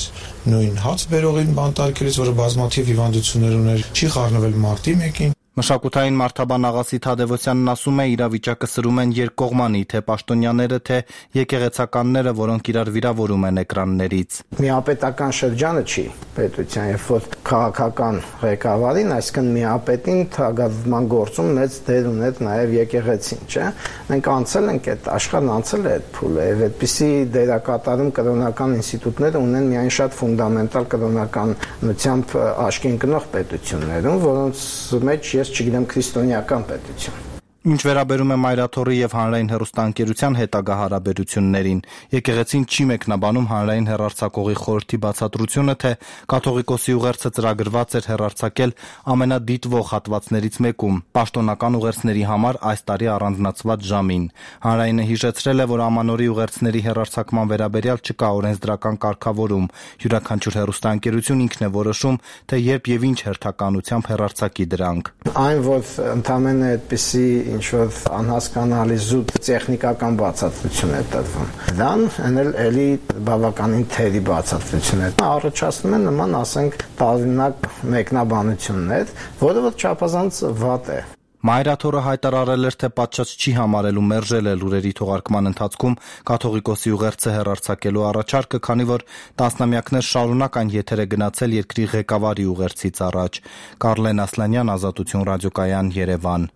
նույն հաց բերողին բանտարկելիս, որը բազմաթիվ հիվանդություններ ուներ, չի խառնվել մարտի մեկին։ Մշակութային մարդաբան Աղասի Թադևոսյանն ասում է, իրավիճակը սրում են երկկողմանի, թե պաշտոնյաները, թե եկեղեցականները, որոնք իրար վիրավորում են էկրաններից։ Միապետական շրջանը չի պետության, երբ որ քաղաքական ղեկավարին, այսինքն միապետին թագավորման գործում մեծ դեր ուներ նաև եկեղեցին, չէ՞։ Մենք անցել ենք այդ աշխարհն անցել է այդ փուլը, եւ այդպիսի դերակատարում կրոնական ինստիտուտները ունեն միայն շատ ֆունդամենտալ կրոնականությամբ աչքի ընկնող պետություններում, որոնց մեջ ես չգիտեմ քրիստոնեական պետություն։ Ինչ վերաբերում է Մայրաթորի եւ հանրային հեռուստաընկերության հետագա հարաբերություններին, եկեղեցին չի մեկնաբանում հանրային հեռարձակողի խորհրդի բացատրությունը, թե կաթողիկոսի ուղերձը ծրագրված էր հեռարձակել ամենադիտվող հատվածներից մեկում, պաշտոնական ուղերձների համար այս տարի առանձնացված ժամին։ Հանրայինը հիշեցրել է, որ ամանորի ուղերձների հեռարձակման վերաբերյալ չկա օրենսդրական կարգավորում, յուրաքանչյուր հեռուստաընկերություն ինքն է որոշում, թե երբ եւ ինչ հերթականությամբ հեռարձակի դրանք։ Այն, որ ընդամենը այդպիսի ինչ-որ անհասկանալի զուտ տեխնիկական բացատրություն է տրվում։ Դան էլ էլի բավականին թերի բացատրություն է։ Առաջացնում են նման, ասենք, տարօրինակ մեկնաբանություններ, որը որ չափազանց վատ է։ Մայրաթորը հայտարարել էր, թե պատշաճ չի համարելու մերժել է լուրերի թողարկման ընթացքում կաթողիկոսի ուղերձը հեռարձակելու առաջարկը, քանի որ տասնամյակներ շարունակ այն եթեր է գնացել երկրի ղեկավարի ուղերձից առաջ։ Կարլեն Ասլանյան, Ազատություն ռադիոկայան, Երևան։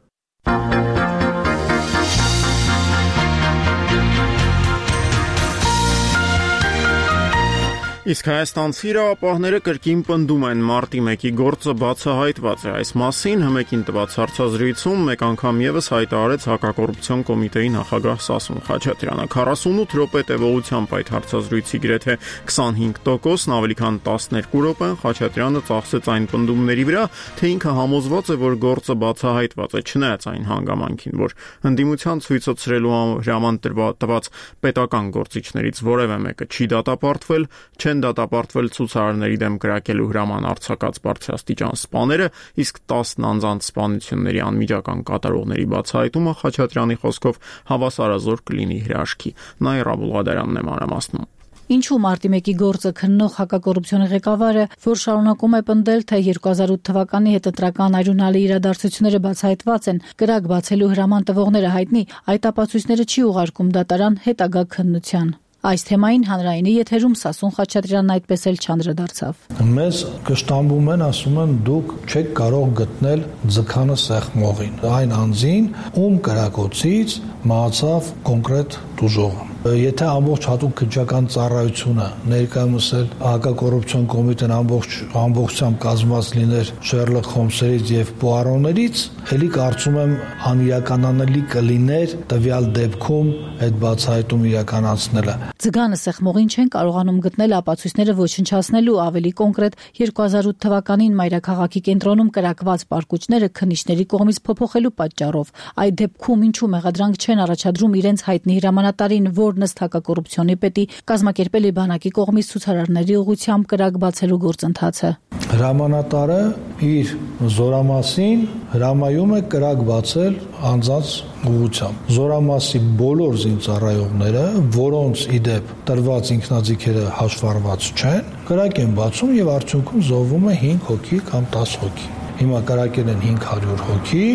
Իսկ հայաստանցի իրավապահները կրկին պնդում են մարտի մեկի գործը բացահայտված է։ Այս մասին հմեկին տված հարցազրույցում մեկ անգամ եւս հայտարարեց Հակակոռուպցիոն կոմիտեի նախագահ Սասուն Խաչատրյանը։ քառասունութ րոպե տևողությամբ այդ հարցազրույցի գրեթե քսանհինգ տոկոսն ավելի քան տասներկու րոպեն Խաչատրյանը ծախսեց այն պնդումների վրա, թե ինքը համոզված է, որ գործը բացահայտված է, չնայած այն հանգամանքին, որ ընդդիմության ցույցը ցրելու հրաման տված պետական գործիչներից որևէ մեկը չի դատապարտվել, չեն դատապարտվել ցուցարարների դեմ կրակելու հրաման արձակած բարձրաստիճան սպաները, իսկ տասն անձանց սպանությունների անմիջական կատարողների բացահայտումը Խաչատրյանի խոսքով հավասարազոր կլինի հրաշքի։ Նաիրա Բուլղադարյանն է մանրամասնում։ Ինչու մարտի մեկի գործը քննող հակակոռուպցիոն ղեկավարը, որ շարունակում է պնդել, թե երկու հազար ութ թվականի հետընտրական այրունալի իրադարձությունները բացահայտված են, կրակ բացելու հրաման տվողները հայտնի, այդ ապացույցները չի ուղարկում դատարան հետագա քննության։ Այս թեմային հանրայինի եթերում Սասուն Խաչատրյանն այդպես էլ չանդրադարձավ։ Մեզ կշտամբում են, ասում են, դուք չեք կարող գտնել ձգանը սեղմողին, այն անձին, ում կրակոցից մահացավ կոնկրետ տուժողը։ Եթե ամբողջ հատուկ քննչական ծառայությունը ներկայումս էլ Հակակոռուպցիոն կոմիտեն ամբողջ ամբողջությամբ կազմված լիներ Շերլոկ Հոլմսերից եւ Պուարոներից, ելի կարծում եմ անիրականանալի կլիներ տվյալ դեպքում այդ բացահայտում իրականացնելը։ Ձգանը սեղմողին չեն կարողանում գտնել ապացույցները ոչնչացնելու, ավելի կոնկրետ երկու հազար ութ թվականին մայրաքաղաքի կենտրոնում կրակված պարկուճները քննիչների կողմից փոփոխելու պատճառով։ Այդ դեպքում ինչու մեղադրանք չեն առաջադրում իրենց հայտնի հրամանատարին, որն ըստ հակակոռուպցիոնի պետի կազմակերպել է բանակի կողմից ցուցարարների ուղղությամբ կրակ բացելու գործընթացը։ Հրամանատարը իր զորամասին հրամայում է կրակ բացել անձանց ուղղությամբ։ Զորամասի բոլոր զինծառայողները, որոնց իդեպ տրված ինքնաձիգերը հաշվառված չեն, կրակ են բացում եւ արդյունքում զոհվում է հինգ հոգի կամ տասը հոգի։ Հիմա կրակել են հինգ հարյուր հոգի,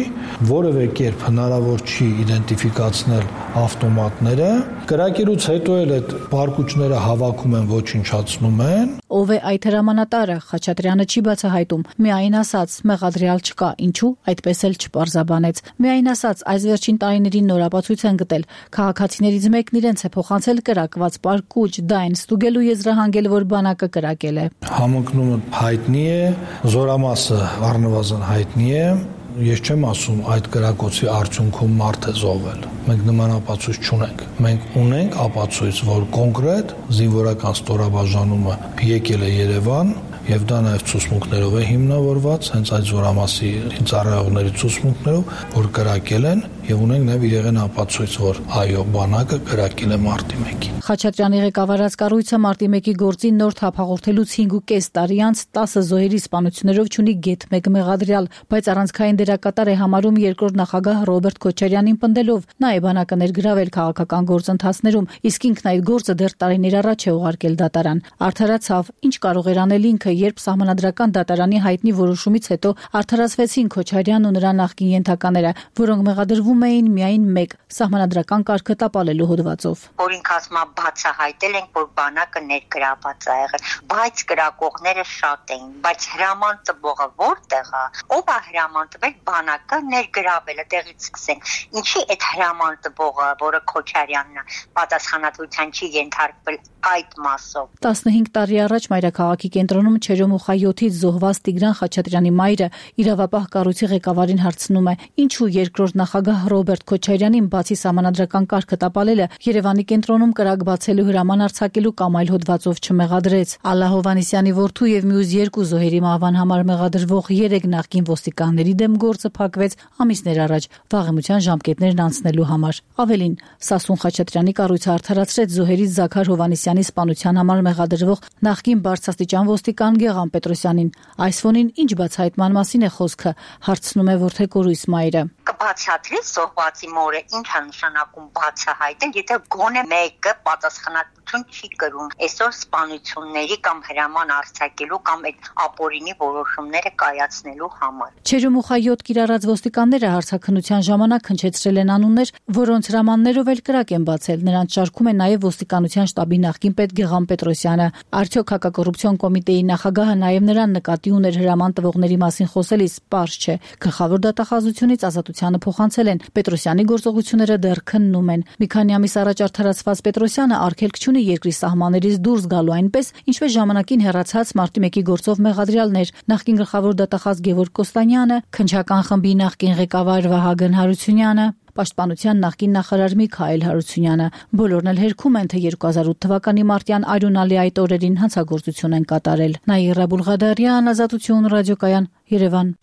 որևէ կերպ հնարավոր չի իդենտիֆիկացնել ավտոմատները, կրակելուց հետո էլ այդ պարկուճները հավաքում են, ոչնչացնում են։ Ով է այդ հրամանատարը, Խաչատրյանը չի բացահայտում, միայն ասաց մեղադրյալ չկա, ինչու այդպես էլ չպարզաբանեց։ Միայն ասաց այս վերջին տարիներին նոր ապացույց են գտել, քաղաքացիներից մեկն իրենց է փոխանցել կրակված պարկուճ, դա այն ստուգելու եզրահանգել, որ բանակը կրակել է։ Համընկնումը հայտնի է, զորամասը առնվազն հայտնի է։ Ես չեմ ասում այդ կրակոցի արդյունքում մարդ է զոհվել։ Մենք նման ապացույց չունենք։ Մենք ունենք ապացույց, որ կոնկրետ զինվորական ստորաբաժանումը եկել է Երևան եւ դա նաեւ ցուցմունքներով է հիմնավորված, հենց այդ զորամասի ծառայողների ցուցմունքներով, որ կրակել են եւ ունենք նաեւ իրեղեն ապացույց, որ այո, բանակը կրակել է մարտի մեկին։ Խաչատրյանի ղեկավարած կառույցը մարտի մեկի գործին նոր թափ հաղորդելուց հինգ ու կես տարի անց տասը զոհերի սպանություններով չունի գեթ մեկ մեղադրյալ, բայց առանցքային դերակատար է համարում երկրորդ նախագահ Ռոբերտ Քոչարյանին պնդելով, նա է բանակը ներգրավել քաղաքական գործընթացներում, իսկ ինքն այդ գործը դեռ տարիներ առաջ է ուղարկել դատարան։ Արդարացավ, ինչ կարող էր անել ինքը, երբ Սահմանադրական դատարանի հայտնի որոշումից հետո արդարացվեցին Քոչարյանն ու նրա նախկին ենթակաները, որոնք մեղադրվում էին միայն մեկ սահմանադրական կարգը տապալելու հոդվածով։ Օրինք ասма բացահայտել ենք, որ բանակը ներգրաված է եղել, բայց կրակողները շատ էին, բայց հրաման տվողը որտեղ է, ով է հրաման տվել, բանակը ներգրավել է, տեղից սկսենք։ Ինչի այդ հրաման տվողը, որը Քոչարյանն է, պատասխանատվության չի ենթարկվել այդ մասով։ տասնհինգ տարի առաջ մայրաքաղաքի կենտրոնում Չերոմուխայոթից զոհված Տիգրան Խաչատրյանի մայրը իրավապահ կառույցի ղեկավարին հարցնում է. ինչու երկրորդ նախագահ Ռոբերտ Քոչարյանին բացի սահմանադրական կարգը տապալելը Երևանի կենտրոնում կրակ բացելու հրաման արձակելու կամ այլ հոդվածով չմեղադրեց։ Ալլա Հովհաննիսյանի որդու եւ մյուս երկու զոհերի մահվան համար մեղադրվող երեք նախկին ոստիկանների դեմ գործը փակվեց ամիսներ առաջ վաղեմության ժամկետներն անցնելու համար։ Ավելին, Սասուն Խաչատրյանի կառույցը արդարացրեց զոհերից Զաքար Հովհաննիսյանի սպանության համար մեղադրվող նախկին բարձրաստիճան ոստիկան Գեղամ Պետրոսյանին։ Այս ֆոնին ինչ բացահայտման մասին է խոսքը, հարցնում է որդեկորույս մայրը։ Կբացատրի զոհվածի մորը ինչ է նշանակում բացահայտել, եթե գոնե մեկը պատասխանատվություն չի կրում այսօր սպանությունների կամ հրաման արձակելու կամ այդ ապօրինի որոշումները կայացնելու համար։ Չերոմուխայոթ կիրառած ոստիկանները հարցաքննության ժամանակ հնչեցրել են անուններ, որոնց հրամաններով էլ կրակ են բացել։ Նրանց շարքում է նաև ոստիկանության շտաբի նախկին պետ Գեղամ Պետրոսյանը։ Արդյոք հակակոռուպցիոն կոմիտեի նախագահը նաև նրան նկատի ուներ հրաման տվողների մասին խոսելիս, պարզ չէ։ Գլխավոր դատախազությունից ազատությանը փոխանցել են։ Պետրոսյանի գործողությունները դեռ քննում են։ Մի քանի ամիս առաջ արդարացված Պետրոսյանը արգելք չունի երկրի սահմաններից դուրս գալու այնպես, ինչպես ժամանակին հեռացած մարտի մեկի գործով մեղադրյալներ, նախկին գլխավոր դատախազ Գևորգ Կոստանյանը, քննչական խմբի նախկին ղեկավար Վահագն Հարությունյանը, Պաշտպանության նախկին նախարար Միքայել Հարությունյանը։ Բոլորն էլ հերքում են, թե երկու հազար ութ թվականի մարտյան արյունալի այդ օրերին հանցագործություն են կատարել։ Նաիրա Բուլղադարյան, Ազատություն ռադիոկայան, Երևան։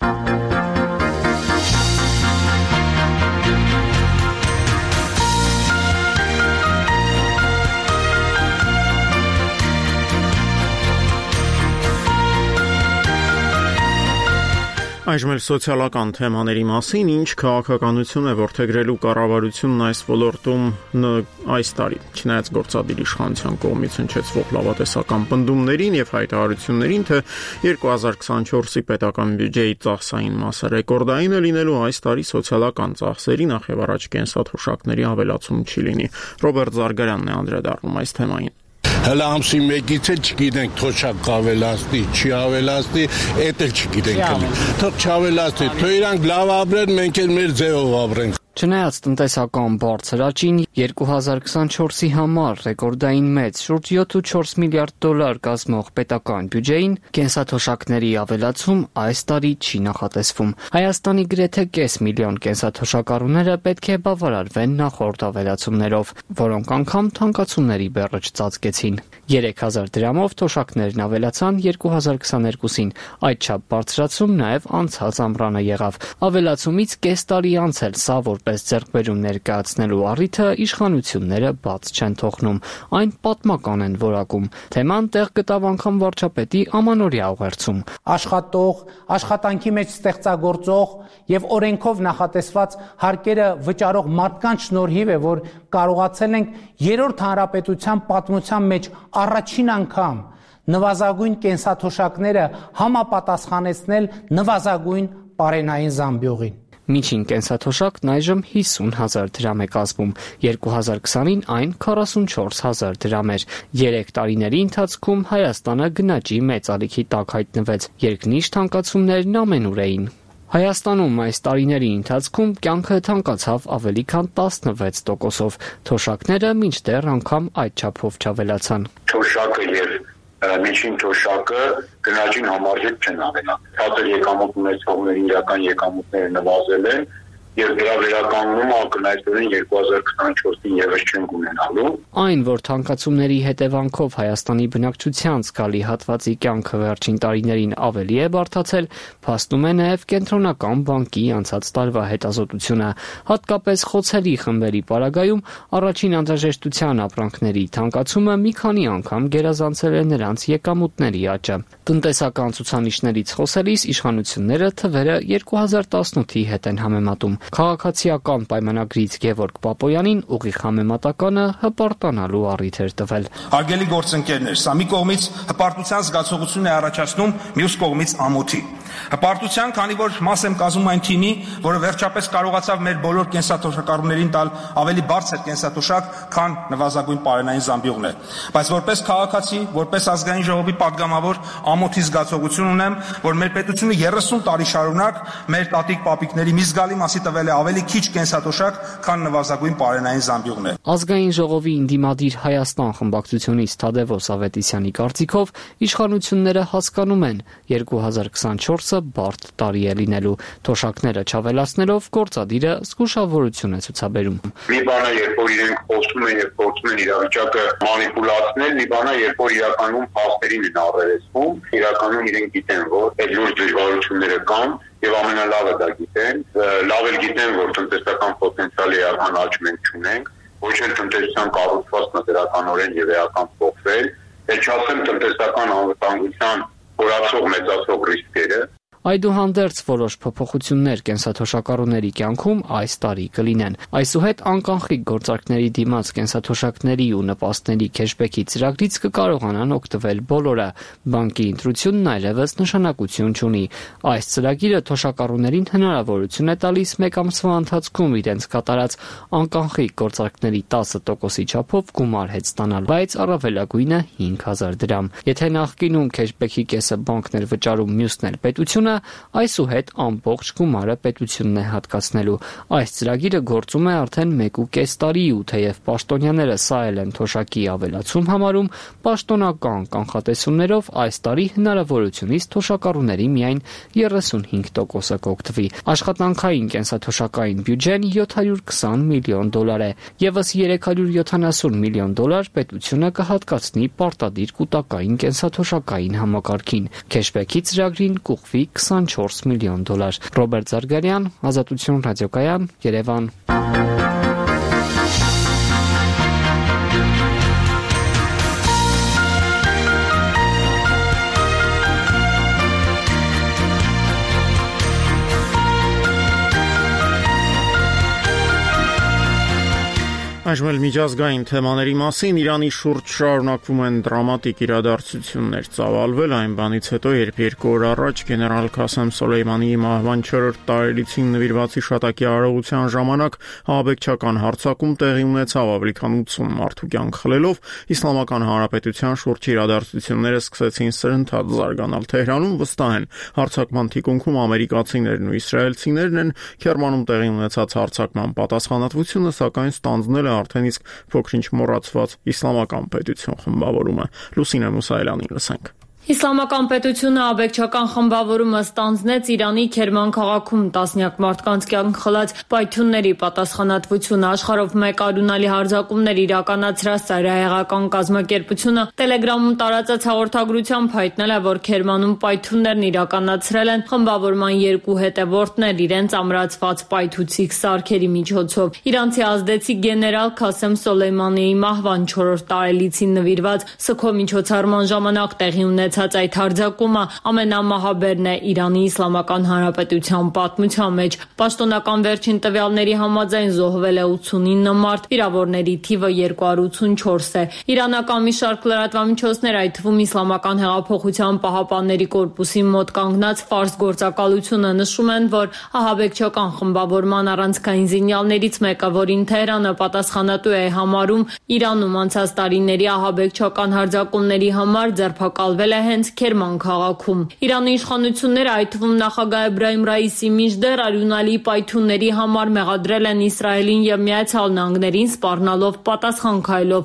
Այժմ էլ սոցիալական թեմաների մասին, ինչ քաղաքականություն է որդեգրելու կառավարությունն այս ոլորտում այս տարի։ Չնայած գործադիր իշխանության կողմից հնչեցվող լավատեսական պնդումներին եւ հայտարարություններին, թե երկու հազար քսանչորսի պետական բյուջեի ծախսային մասը ռեկորդային է լինելու, այս տարի սոցիալական ծախսերի նախ եւ առաջ կենսաթոշակների ավելացում չի լինի։ Ռոբերտ Զարգարյանն է անդրադառնում այս թեմային։ Հələ ամսի մեկից էլ չգիտենք թոշակ կավելացնի, չի ավելացնի, էդ էլ չգիտենք։ Թող չավելացնի, թող իրանք լավ ապրեն, մենք էլ մեր ձևով ապրենք։ Չնայած տնտեսական բարձր աճին երկու հազար քսանչորսի համար ռեկորդային մեծ շուրջ յոթ ու չորս միլիարդ դոլար կազմող պետական բյուջեին կենսաթոշակների ավելացում այս տարի չի նախատեսվում։ Հայաստանի գրեթե կես միլիոն կենսաթոշակառուները պետք է բավարարվեն նախորդ ավելացումներով, որոնք անգամ թանկացումների բեռը չծածկեցին։ երեք հազար դրամով թոշակներն ավելացան երկու հազար քսաներկուսին, այդչափ բարձրացում նաև անցած ամռանը եղավ։ Ավելացումից կես տարի անց էլ սա որպես ձեռքբերում ներկայացնելու առիթը իշխանությունները բաց չեն թողնում, այն պատմական են որակում։ Թեման տեղ գտավ անգամ վարչապետի ամանորյա ուղերձում։ Աշխատող, աշխատանքի մեջ ստեղծագործող եւ օրենքով նախատեսված հարկերը վճարող մարդկանց շնորհիվ է, որ կարողացել ենք երրորդ հանրապետության պատմության մեջ առաջին անգամ նվազագույն կենսաթոշակները համապատասխանեցնել նվազագույն պարենային զամբյուղին։ Միջին կենսաթոշակն այժմ հիսուն հազար դրամ է կազմում, երկու հազար քսանին այն քառասունչորս հազար դրամ էր։ Երեք տարիների ընթացքում Հայաստանը գնաճի մեծ ալիքի տակ հայտնվեց, երկնիշ թանկացումներն ամենուր էին։ Հայաստանում այս տարիների ընթացքում կյանքը թանկացավ ավելի քան տասնվեց տոկոսով, թոշակները մինչդեռ անգամ այդ չափով չավելացան։ Թոշակը եւ միջին թոշակը գնաճին համարժեք չեն ավելացել։ Ցածր եկամուտ ունեցողների իրական եկամուտները նվազել են եւ դրա վերականգնումը ակնհայտորեն երկու հազար քսանչորսին եւս չենք ունենալու։ Այն, որ թանկացումների հետևանքով Հայաստանի բնակչության զգալի հատվածի կյանքը վերջին տարիներին ավելի է բարդացել, փաստում է նաև Կենտրոնական բանկի անցած տարվա հետազոտությունը։ Հատկապես խոցելի խմբերի պարագայում առաջին անհրաժեշտության ապրանքների թանկացումը մի քանի անգամ գերազանցել է նրանց եկամուտների աճը։ Տնտեսական ցուցանիշներից խոսելիս իշխանությունները թվերը երկու հազար տասնութի հետ են համեմատում։ Քաղաքացիական պայմանագրից Գևորգ Պապոյանին ուղիղ համեմատականը հպարտանալու առիթ էր տվել։ Հարգելի գործընկերներ, սա մի կողմից հպարտության զգացողություն է առաջացնում, մյուս կողմից ամոթի։ Հպարտության, քանի որ մաս եմ կազմում այն թիմի, որը վերջապես կարողացավ մեր բոլոր կենսաթոշակառուներին տալ ավելի բարձր կենսաթոշակ, քան նվազագույն պարենային զամբյուղն է։ Բայց որպես քաղաքացի, որպես ազգային ժողովի падգամավոր ամոթի զգացողություն ունեմ, որ մեր պետությունը երեսուն տարի շարունակ մեր տատիկ-պապիկների մի զգալի մասի տվել է ավելի քիչ կենսաթոշակ, քան նվազագույն պարենային զամբյուղն է։ Ազգային ժողովի ինդիմադիր Հայաստան խմբակցությունից Թադևոս Ավետիսյանի կարծիքով իշխանությունները հասկանում են երկու հազար քսանչորսը բարդ տարի է լինելու, թոշակները չավելացնելով գործադիրը զգուշավորություն է ցուցաբերում։ Մի բան է, երբ որ իրենք խոսում են եւ փորձում են իրավիճակը մանիպուլացնել, մի բան է, երբ որ իրականում փաստերին են առերեսվում, իրականում իրենք գիտեն, որ այդ լուրջ դժվարությունները կան եւ ամենալավը դա գիտեն, լավ էլ գիտեն, որ տնտեսական պոտենցիալի էական աճ մենք չունենք, ոչ էլ տնտեսության կառուցվածքն դրականորեն եւ էական փոխվել, էլ չասեմ տնտեսական անվտանգության խորացող մեծացող ռիսկերը։ Այդուհանդերձ որոշ փոփոխություններ կենսաթոշակառուների կյանքում այս տարի կլինեն։ Այսուհետ անկանխիկ գործարքների դիմաց կենսաթոշակների ու նպաստների քեշբեքի ծրագրից կկարողանան օգտվել բոլորը։ Բանկի ընտրությունն այլևս նշանակություն չունի։ Այս ծրագիրը թոշակառուներին հնարավորություն է տալիս մեկ ամսվա ընթացքում իրենց կատարած անկանխիկ գործարքների տասը տոկոսի չափով գումար հետ ստանալ, բայց առավելագույնը հինգ հազար դրամ։ Եթե նախկինում քեշբեքի կեսը բանկն էր վճարում, մյուսն էլ պետությունը, այսուհետ ամբողջ գումարը պետությունն է հատկացնելու։ Այս ծրագիրը գործում է արդեն մեկ ու կես տարի ու թեև պաշտոնյաները սա էլ են թոշակի ավելացում համարում, պաշտոնական կանխատեսումներով այս տարի հնարավորությունից թոշակառուների միայն երեսունհինգ տոկոսը կօգտվի։ Աշխատանքային կենսաթոշակային բյուջեն յոթ հարյուր քսան միլիոն դոլար է, ևս երեք հարյուր յոթանասուն միլիոն դոլար պետությունը կհատկացնի պարտադիր կൂട്ടակային կենսաթոշակային համակարգին։ Քեշբեքի ծրագրին կուղղվի քսանչորս միլիոն դոլար։ Ռոբերտ Զարգարյան, Ազատություն ռադիոկայան, Երևան։ Այժմ էլ միջազգային թեմաների մասին Իրանի շուրջ շարունակվում են դրամատիկ իրադարձություններ ծավալվել այն բանից հետո, երբ երկու օր առաջ գեներալ Քասեմ Սոլեյմանիի մահվան չորրորդ տարելիցին նվիրված հիշատակի արարողության ժամանակ ահաբեկչական հարձակում տեղի ունեցավ, ավելի քան ութսուն մարդու կյանք խլելով, Իսլամական Հանրապետության շուրջ իրադարձությունները սկսեցին սրընթաց զարգանալ։ Թեհրանում վստահ են, հարձակման թիկունքում ամերիկացիներն ու իսրայելցիներն են, Քերմանում տեղի ունեցած հարձակման պատասխանատվությունը սակայն ստանձնել է արդեն իսկ փոքրինչ մոռացված իսլամական պետություն խմբավորումը։ Լուսինե Մուսայելյանին լսենք։ Իսլամական պետությունը աբեկչական խմբավորումը ստանձնեց Իրանի Քերման քաղաքում տասնյակ մարդկանց կյանք խլած պայթյունների պատասխանատվությունը աշխարհով մեկ արունալի հարձակումներ իրականացրած ծայրահեղական կազմակերպությունը Տելեգրամում տարածած հաղորդագրությամբ հայտնել է, որ Քերմանում պայթյուններն իրականացրել են խմբավորման երկու հետևորդներ իրենց ամրացված պայթուցիկ սարքերի միջոցով։ Իրանցի ազդեցիկ գեներալ Քասեմ Սոլեյմանիի մահվան չորրորդ տարելիցին նվիրված սգո միջոցառման ժամանակ տեղի ունեցած այդ հարձակումը ամենամահաբերն է Իրանի Իսլամական Հանրապետության պատմության մեջ։ Պաշտոնական վերջին տվյալների համաձայն զոհվել է ութսունինը մարդ, վիրավորների թիվը երկու հարյուր ութսունչորս է։ Իրանական մի շարք լրատվամիջոցներ, այդ թվում Իսլամական հեղափոխության պահապանների կորպուսի մոտ կանգնած Ֆարս գործակալությունը նշում են, որ ահաբեկչական խմբավորման առանցքային զինյալներից մեկը, որին Թեհրանը պատասխանատու է համարում Իրանում անցած տարիների ահաբեկչական հարձակումների համար, ձերբակալվել է հենց Քերման քաղաքում։ Իրանի իշխանությունները, այդ թվում նախագահ Էբրահիմ Ռայիսի միջդեռ արյունալի պայթյունների համար մեղադրել են Իսրայելին եւ Միացյալ Նահանգներին, սպառնալով պատասխան քայլով։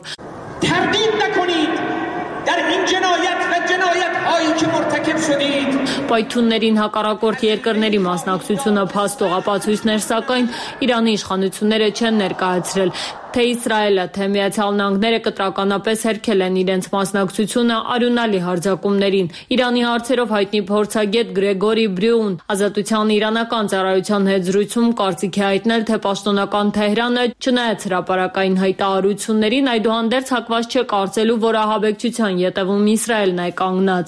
Պայթյուններին հակառակորդ երկրների մասնակցությունը փաստող ապացույցներ, սակայն Իրանի իշխանությունները չեն ներկայացրել։ Թե Իսրայելը, թե Միացյալ Նահանգները կտրականապես հերքել են իրենց մասնակցությունը արյունալի հարձակումներին։ Իրանի հարցերով հայտնի փորձագետ Գրեգորի Բրյուն Ազատության իրանական ծառայության հետ զրույցում կարծիք է հայտնել, թե պաշտոնական Թեհրանը, չնայած հրապարակային հայտարարություններին, այդուհանդերձ հակված չէ կարծելու, որ ահաբեկչության ետևում Իսրայելն է կանգնած։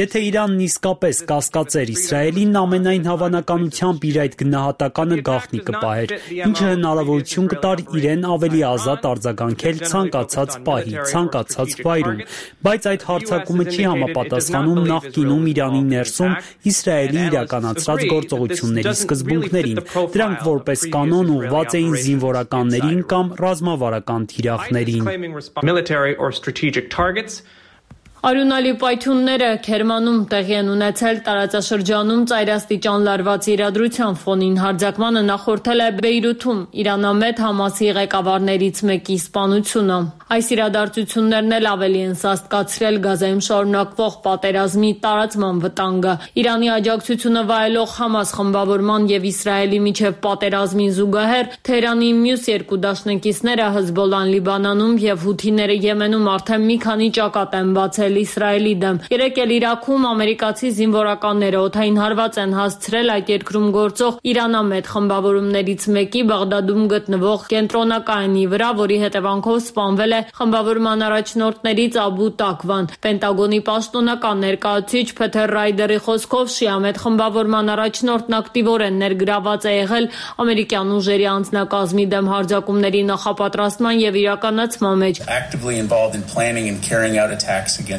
Եթե Իրանն իսկապես կասկածեր Իսրայելին, ամենայն հավանականությամբ իր այդ գնահատականը գաղտնի կպահեր, ինչը հնարավորություն կտար իրեն ավելի ազատ արձագանքել ցանկացած պահի, ցանկացած վայրում, բայց այդ հարձակումը չի համապատասխանում նախկինում Իրանի ներսում Իսրայելի իրականացրած գործողությունների սկզբունքներին։ Դրանք որպես կանոն ուղղված էին զինվորականներին կամ ռազմավարական թիրախներին։ Արյունալի պայթյունները Քերմանում տեղի են ունեցել տարածաշրջանում ծայրաստիճան լարված իրադրության ֆոնին։ Հարձակմանը նախորդել է Բեյրութում Իրանամետ Համասի ղեկավարներից մեկի սպանությունը։ Այս իրադարձություններն էլ ավելի են սաստկացրել Գազայում շարունակվող պատերազմի տարածման վտանգը։ Իրանի աջակցությունը վայելող Համաս խմբավորման եւ Իսրայելի միջև պատերազմին զուգահեռ Թեհրանի մյուս երկու դաշնակիցները Հեզբոլլան Լիբանանում եւ Հութիները Եմենում արդեն մի քանի ճակատ են բացել Իսրայելի դեմ։ Երեկ էլ Իրաքում ամերիկացի զինվորականները օդային հարված են հասցրել այդ երկրում գործող Իրանամետ խմբավորումներից մեկի Բաղդադում գտնվող կենտրոնակայանի վրա, որի հետևանքով սպանվել է խմբավորման առաջնորդներից Աբու Տակվան։ Պենտագոնի պաշտոնական ներկայացուցիչ Փեթեր Ռայդերի խոսքով Շիամետ խմբավորման առաջնորդն ակտիվորեն ներգրաված է եղել ամերիկյան ուժերի անձնակազմի դեմ հարձակումների նախապատրաստման եւ իրականացման մեջ։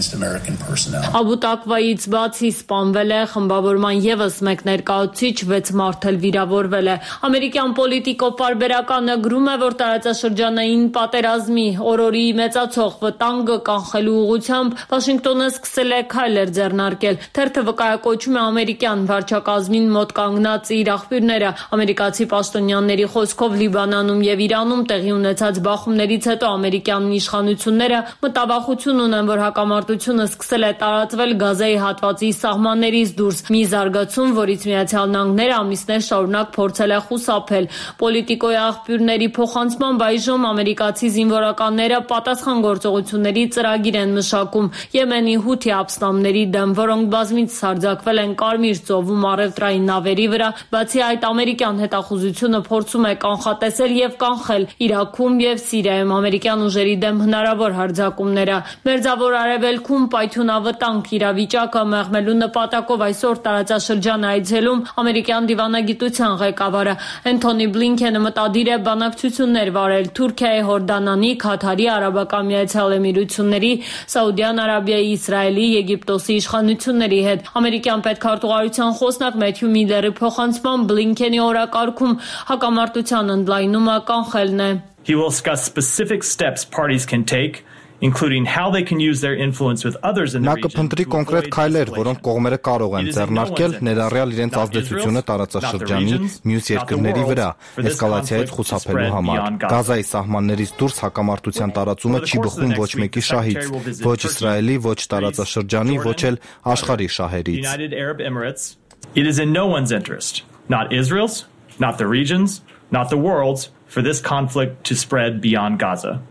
Աբու Տակվայից բացի սպանվել է խմբավորման եւս մեկ ներկայացուցիչ, վեց մարդ էլ վիրավորվել է։ Ամերիկյան պոլիտիկո պարբերականը գրում է, որ տարածաշրջանային պատերազմի օրորի մեծացող վտանգը կանխելու ուղղությամբ Վաշինգտոնը սկսել է քայլեր ձեռնարկել։ Թերթը վկայակոչում է ամերիկյան վարչակազմին մոտ կանգնած իր աղբյուրները։ Ամերիկացի պաշտոնյաների խոսքով Լիբանանում եւ Իրանում տեղի ունեցած բախումներից հետո ամերիկյան իշխանությունները մտավախություն ունեն, որ հակամարտությունը սկսել է տարածվել Գազայի հատվածի սահմաններից դուրս, մի զարգացում, որից Միացյալ Նահանգները ամիսներ շարունակ փորձել է խուսափել։ Պոլիտիկոյի աղբյուրների փոխանցմամբ այժմ ամերիկացի զինվորականները պատասխան գործողությունների ծրագիր են մշակում Եմենի Հութի ապստամբների դեմ, որոնք բազմիցս հարձակվել են Կարմիր ծովում առևտրային նավերի վրա։ Բացի այդ, ամերիկյան հետախուզությունը փորձում է կանխատեսել եւ կանխել Իրաքում եւ Սիրիայում ամերիկյան ուժերի դեմ հնարավոր հարձակումները։ Մերձավոր Արևելքում պայթյունավտանգ իրավիճակը մեղմելու նպատակով այսօր տարածաշրջան այցելում ամերիկյան դիվանագիտության ղեկավարը Էնթոնի Բլինքենը մտադիր է բանակցություններ վարել Թուրքիայի, Հորդանանի, Քաթարի, Արաբական Միացյալ Էմիրությունների, Սաուդյան Արաբիայի, Իսրայելի, Եգիպտոսի իշխանությունների հետ։ Ամերիկյան պետքարտուղարության խոսնակ Մեթյու Միլլերի փոխանցմամբ Բլինքենի օրակարգում հակամարտության ընդլայնումը կանխելն է։ He will discuss specific steps parties can take, including how they can use their influence with others in the region. Նա կփնտրի կոնկրետ քայլեր, որոնք կողմերը կարող են ձեռնարկել, ներառյալ իրենց ազդեցությունը տարածաշրջանի մյուս երկրների վրա, էսկալացիայից խուսափելու համար։ Գազայի սահմաններից դուրս հակամարտության տարածումը չի բխում ոչ մեկի շահից, ոչ Իսրայելի, ոչ տարածաշրջանի, ոչ էլ աշխարհի շահերից։ It is in no one's interest, not Israel's, not the region's, not the world's, for this conflict to spread beyond Gaza.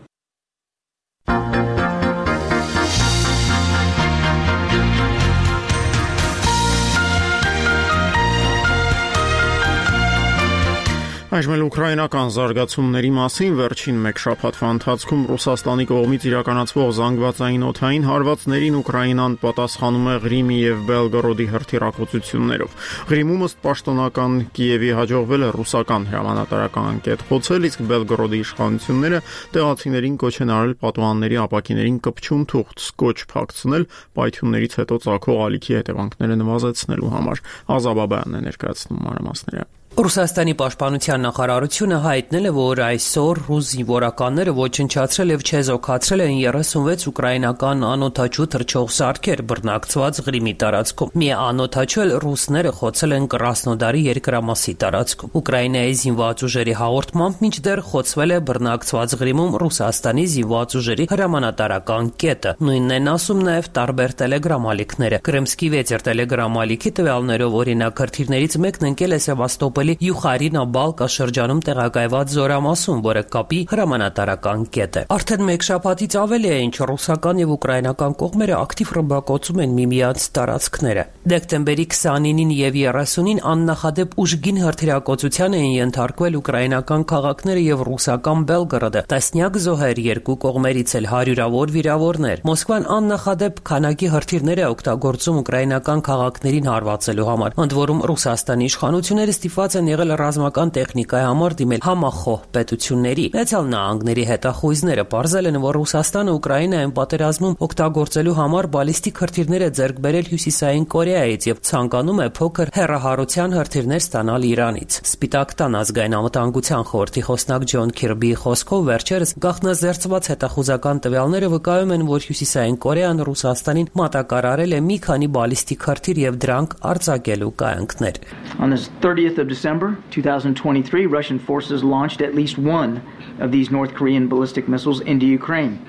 Այժմ ուկրաինական զարգացումների մասին վերջին մեկ շաբաթվա ընթացքում Ռուսաստանի կողմից իրականացվող զանգվածային օդային հարվածներին Ուկրաինան պատասխանում է Ղրիմի եւ Բելգորոդի հրթիռակոծություններով։ Ղրիմում ըստ պաշտոնական Կիևի հաջողվել է ռուսական հրամանատարական անկետ խոցել, իսկ Բելգորոդի իշխանությունները տեղացիներին կոչ են արել պատուհանների ապակիներին կպչուն թուղթ սկոչ փակցնել պայթյուններից հետո ծագող ալիքի հետևանքները նվազեցնելու համար։ Ազաբաբյանն է ներկայացնում մանրամասները։ Ռուսաստանի պաշտպանության նախարարությունը հայտնել է, որ այսօր ռուս զինվորականները ոչնչացրել եւ չեզոքացրել են երեսունվեց ուկրաինական անօդաչու թռչող սարքեր բռնակցված Ղրիմի տարածքում։ Մի անօդաչու էլ ռուսները խոցել են Կրասնոդարի երկրամասի տարածքում։ Ուկրաինայի զինված ուժերի հաղորդմամբ մինչդեռ խոցվել է բռնակցված Ղրիմում Ռուսաստանի զինված ուժերի հրամանատարական կետը։ Նույնն են ասում նաեւ տարբեր տելեգրամ ալիքները։ Կրեմսկի վեցեր տելեգրամ ալիքի տվյալներով օրինակ հրթիռներից մեկն ընկել է Սևաստոպոլի Մարիուպոլի Յուխարինա Բալկա շրջանում տեղակայված զորամասում, որը կապի հրամանատարական կետ է։ Արդեն մեկ շաբաթից ավելի է, ինչ ռուսական եւ ուկրաինական կողմերը ակտիվ ռմբակոծում են միմյանց տարածքները։ Դեկտեմբերի քսանինին եւ երեսունին աննախադեպ ուժգին հրթիռակոծության էին ենթարկվել ուկրաինական քաղաքները եւ ռուսական Բելգրադը, տասնյակ զոհեր, երկու կողմերից էլ հարյուրավոր վիրավորներ։ Մոսկվան աննախադեպ քանակի հրթիռներ է օգտագործում ուկրաինական քաղաքներին հարվածելու համար, ընդ որում Ռուսաստանի իշխանությունները ստիպված են եղել ռազմական տեխնիկայի համար դիմել համախոհ պետությունների։ Միացյալ Նահանգների հետախույզները պարզել են, որ Ռուսաստանը Ուկրաինայում պատերազմում օգտագործելու համար բալիստիկ հրթիռներ է ձեռք բերել Հյուսիսային Կորեայից եւ ցանկանում է փոքր հեռահարության հրթիռներ ստանալ Իրանից։ Սպիտակ տան ազգային անվտանգության խորհրդի խոսնակ Ջոն Քիրբիի խոսքով վերջերս գաղտնազերծված հետախուզական տվյալները վկայում են, որ Հյուսիսային Կորեան Ռուսաստանին մատակարարել է մի քանի բալիստիկ հրթիռ եւ դրանք արձակելու կայանքներ։ On the thirtieth of December twenty twenty-three, Russian forces launched at least one of these North Korean ballistic missiles into Ukraine.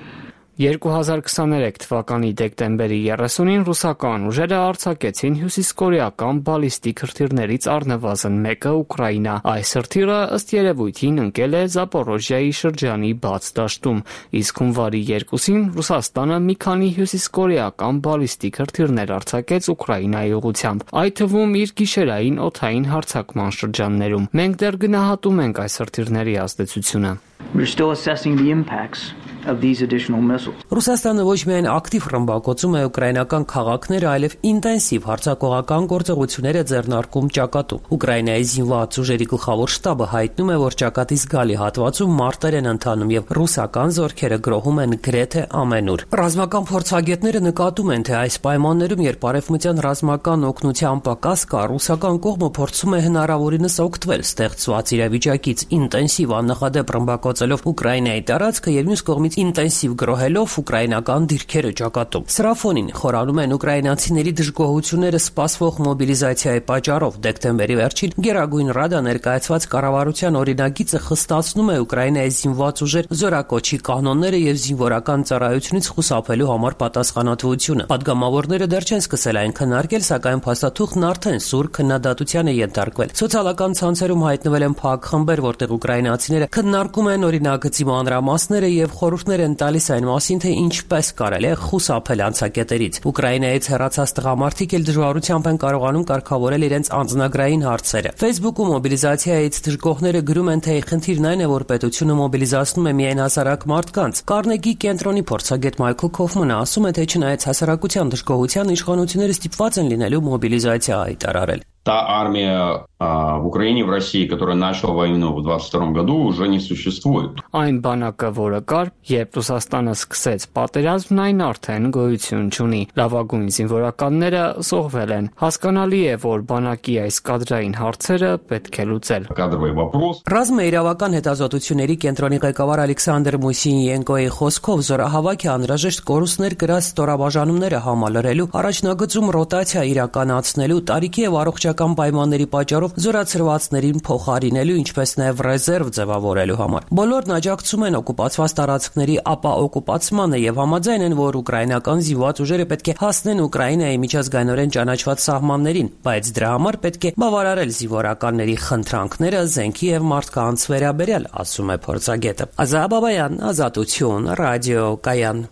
երկու հազար քսաներեք թվականի դեկտեմբերի երեսունին ռուսական ուժերը արձակեցին հյուսիսկորեական բալիստիկ հրթիռներից առնվազն մեկը Ուկրաինա։ Այս հրթիռը ըստ երևույթին ընկել է Զապորոժիայի շրջանի բաց դաշտում, իսկ հունվարի երկուսին Ռուսաստանը մի քանի հյուսիսկորեական բալիստիկ հրթիռներ արձակեց Ուկրաինայի ուղղությամբ, այդ թվում իր գիշերային օդային հարձակման շրջաններում։ Մենք դեռ գնահատում ենք այս հրթիռների ազդեցությունը։ We're still assessing the impacts of these additional missiles. Ռուսաստանը ոչ միայն ակտիվ ռմբակոծում է ուկրաինական քաղաքները, այլև ինտենսիվ հարձակողական գործողություններ է ձեռնարկում ճակատում։ Ուկրաինայի զինված ուժերի գլխավոր շտաբը հայտնում է, որ ճակատի զգալի հատվածում մարտեր են ընթանում եւ ռուսական զորքերը գրոհում են գրեթե ամենուր։ Ռազմական փորձագետները նկատում են, թե այս պայմաններում, երբ արևմտյան ռազմական օգնության պակաս կա, ռուսական կողմը փորձում է հնարավորինս օգտվել ստեղծված իրավիճակից, ինտենսիվ աննախադեպ ռմբակոծելով Ուկրաինայի տարածքը եւ մյուս կողմից ինտենսիվ գրոհելով ուկրաինական դիրքերը ճակատում։ Սրա ֆոնին խորանում են ուկրաինացիների դժգոհությունները սպասվող մոբիլիզացիայի պատճառով։ Դեկտեմբերի վերջին Գերագույն Ռադա ներկայացված կառավարության օրինագիծը խստացնում է Ուկրաինայի զինված ուժեր զորակոչի կանոնները եւ զինվորական ծառայությունից խուսափելու համար պատասխանատվությունը։ Պատգամավորները դեռ չեն սկսել այն քննարկել, սակայն փաստաթուղթն արդեն սուր քննադատության է ենթարկվել։ Սոցիալական ցանցերում հայտնվել են փակ խմբեր, որտեղ ուկրաինացիները քննարկում են օրինագծի մանրամասները եւ խորհուրդներ են տալիս այն մասին, թե ինչպես կարելի է խուսափել անցակետերից։ Ուկրաինայից հեռացած տղամարդիկ էլ դժվարությամբ են կարողանում կարգավորել իրենց անձնագրային հարցերը։ Facebook-ում մոբիլիզացիայից դժգոհները գրում են, թե խնդիրն այն է, որ պետությունը մոբիլիզացնում է միայն հասարակ մարդկանց։ Կարնեգի կենտրոնի փորձագետ Մայքլ Քոֆմանը ասում է, թե չնայած հասարակության դժգոհության, իշխանությունները ստիպված են լինելու մոբիլիզացիա հայտարարել։ Та армия а, в Украине, в России, которая начала войну в двадцать втором году, уже не существует. Այն բանակը, որը կար, երբ Ռուսաստանը սկսեց պատերազմն, այն արդեն գոյություն չունի։ Լավագույն զինվորականները զոհվել են։ Հասկանալի է, որ բանակի այս կադրային հարցերը պետք է լուծել։ Կադրովый вопрос. Ռազմաիրավական հետազոտությունների կենտրոնի ղեկավար Ալեքսանդր Մուսինյենկոյի խոսքով զորահավաքի անհրաժեշտ կորուստներ գրած ստորաբաժանումները համալրելու, առաջնագծում ռոտացիա իրականացնելու, տարիքի եւ առողջ պայմանների պատճառով զորացրվածներին փոխարինելու, ինչպես նաև ռեզերվ ձևավորելու համար։ Բոլորն աջակցում են օկուպացված տարածքների ապաօկուպացմանը եւ համաձայն են, որ ուկրաինական զինված ուժերը պետք է հասնեն Ուկրաինայի միջազգայինորեն ճանաչված սահմաններին, բայց դրա համար պետք է բավարարել զինվորականների խնդրանքները զենքի եւ մարդկանց վերաբերյալ, ասում է փորձագետը։ Ազատ Բաբայան, Ազատություն, ռադիո Կայան։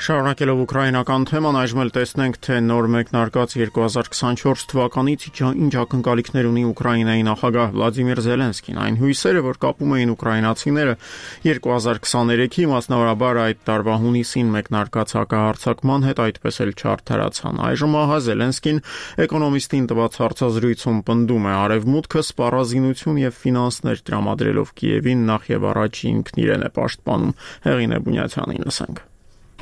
Շարունակելով ուկրաինական թեման, այժմ էլ տեսնենք, թե նոր մեկնարկած երկու հազար քսանչորս թվականից ինչ ակնկալիքներ ունի Ուկրաինայի նախագահ Վլադիմիր Զելենսկին։ Այն հույսերը, որ կապում էին ուկրաինացիները երկու հազար քսաներեքի, մասնավորաբար այդ տարվա հունիսին մեկնարկած հակահարձակման հետ, այդպես էլ չարդարացան։ Այժմ ահա Զելենսկին Էկոնոմիստին տված հարցազրույցում պնդում է, արևմուտքը սպառազինություն եւ ֆինանսներ տրամադրելով Կիևին նախ եւ առաջ ինքն իրեն է պաշտպանում։ Հեղինե Բունյացյանին լսենք։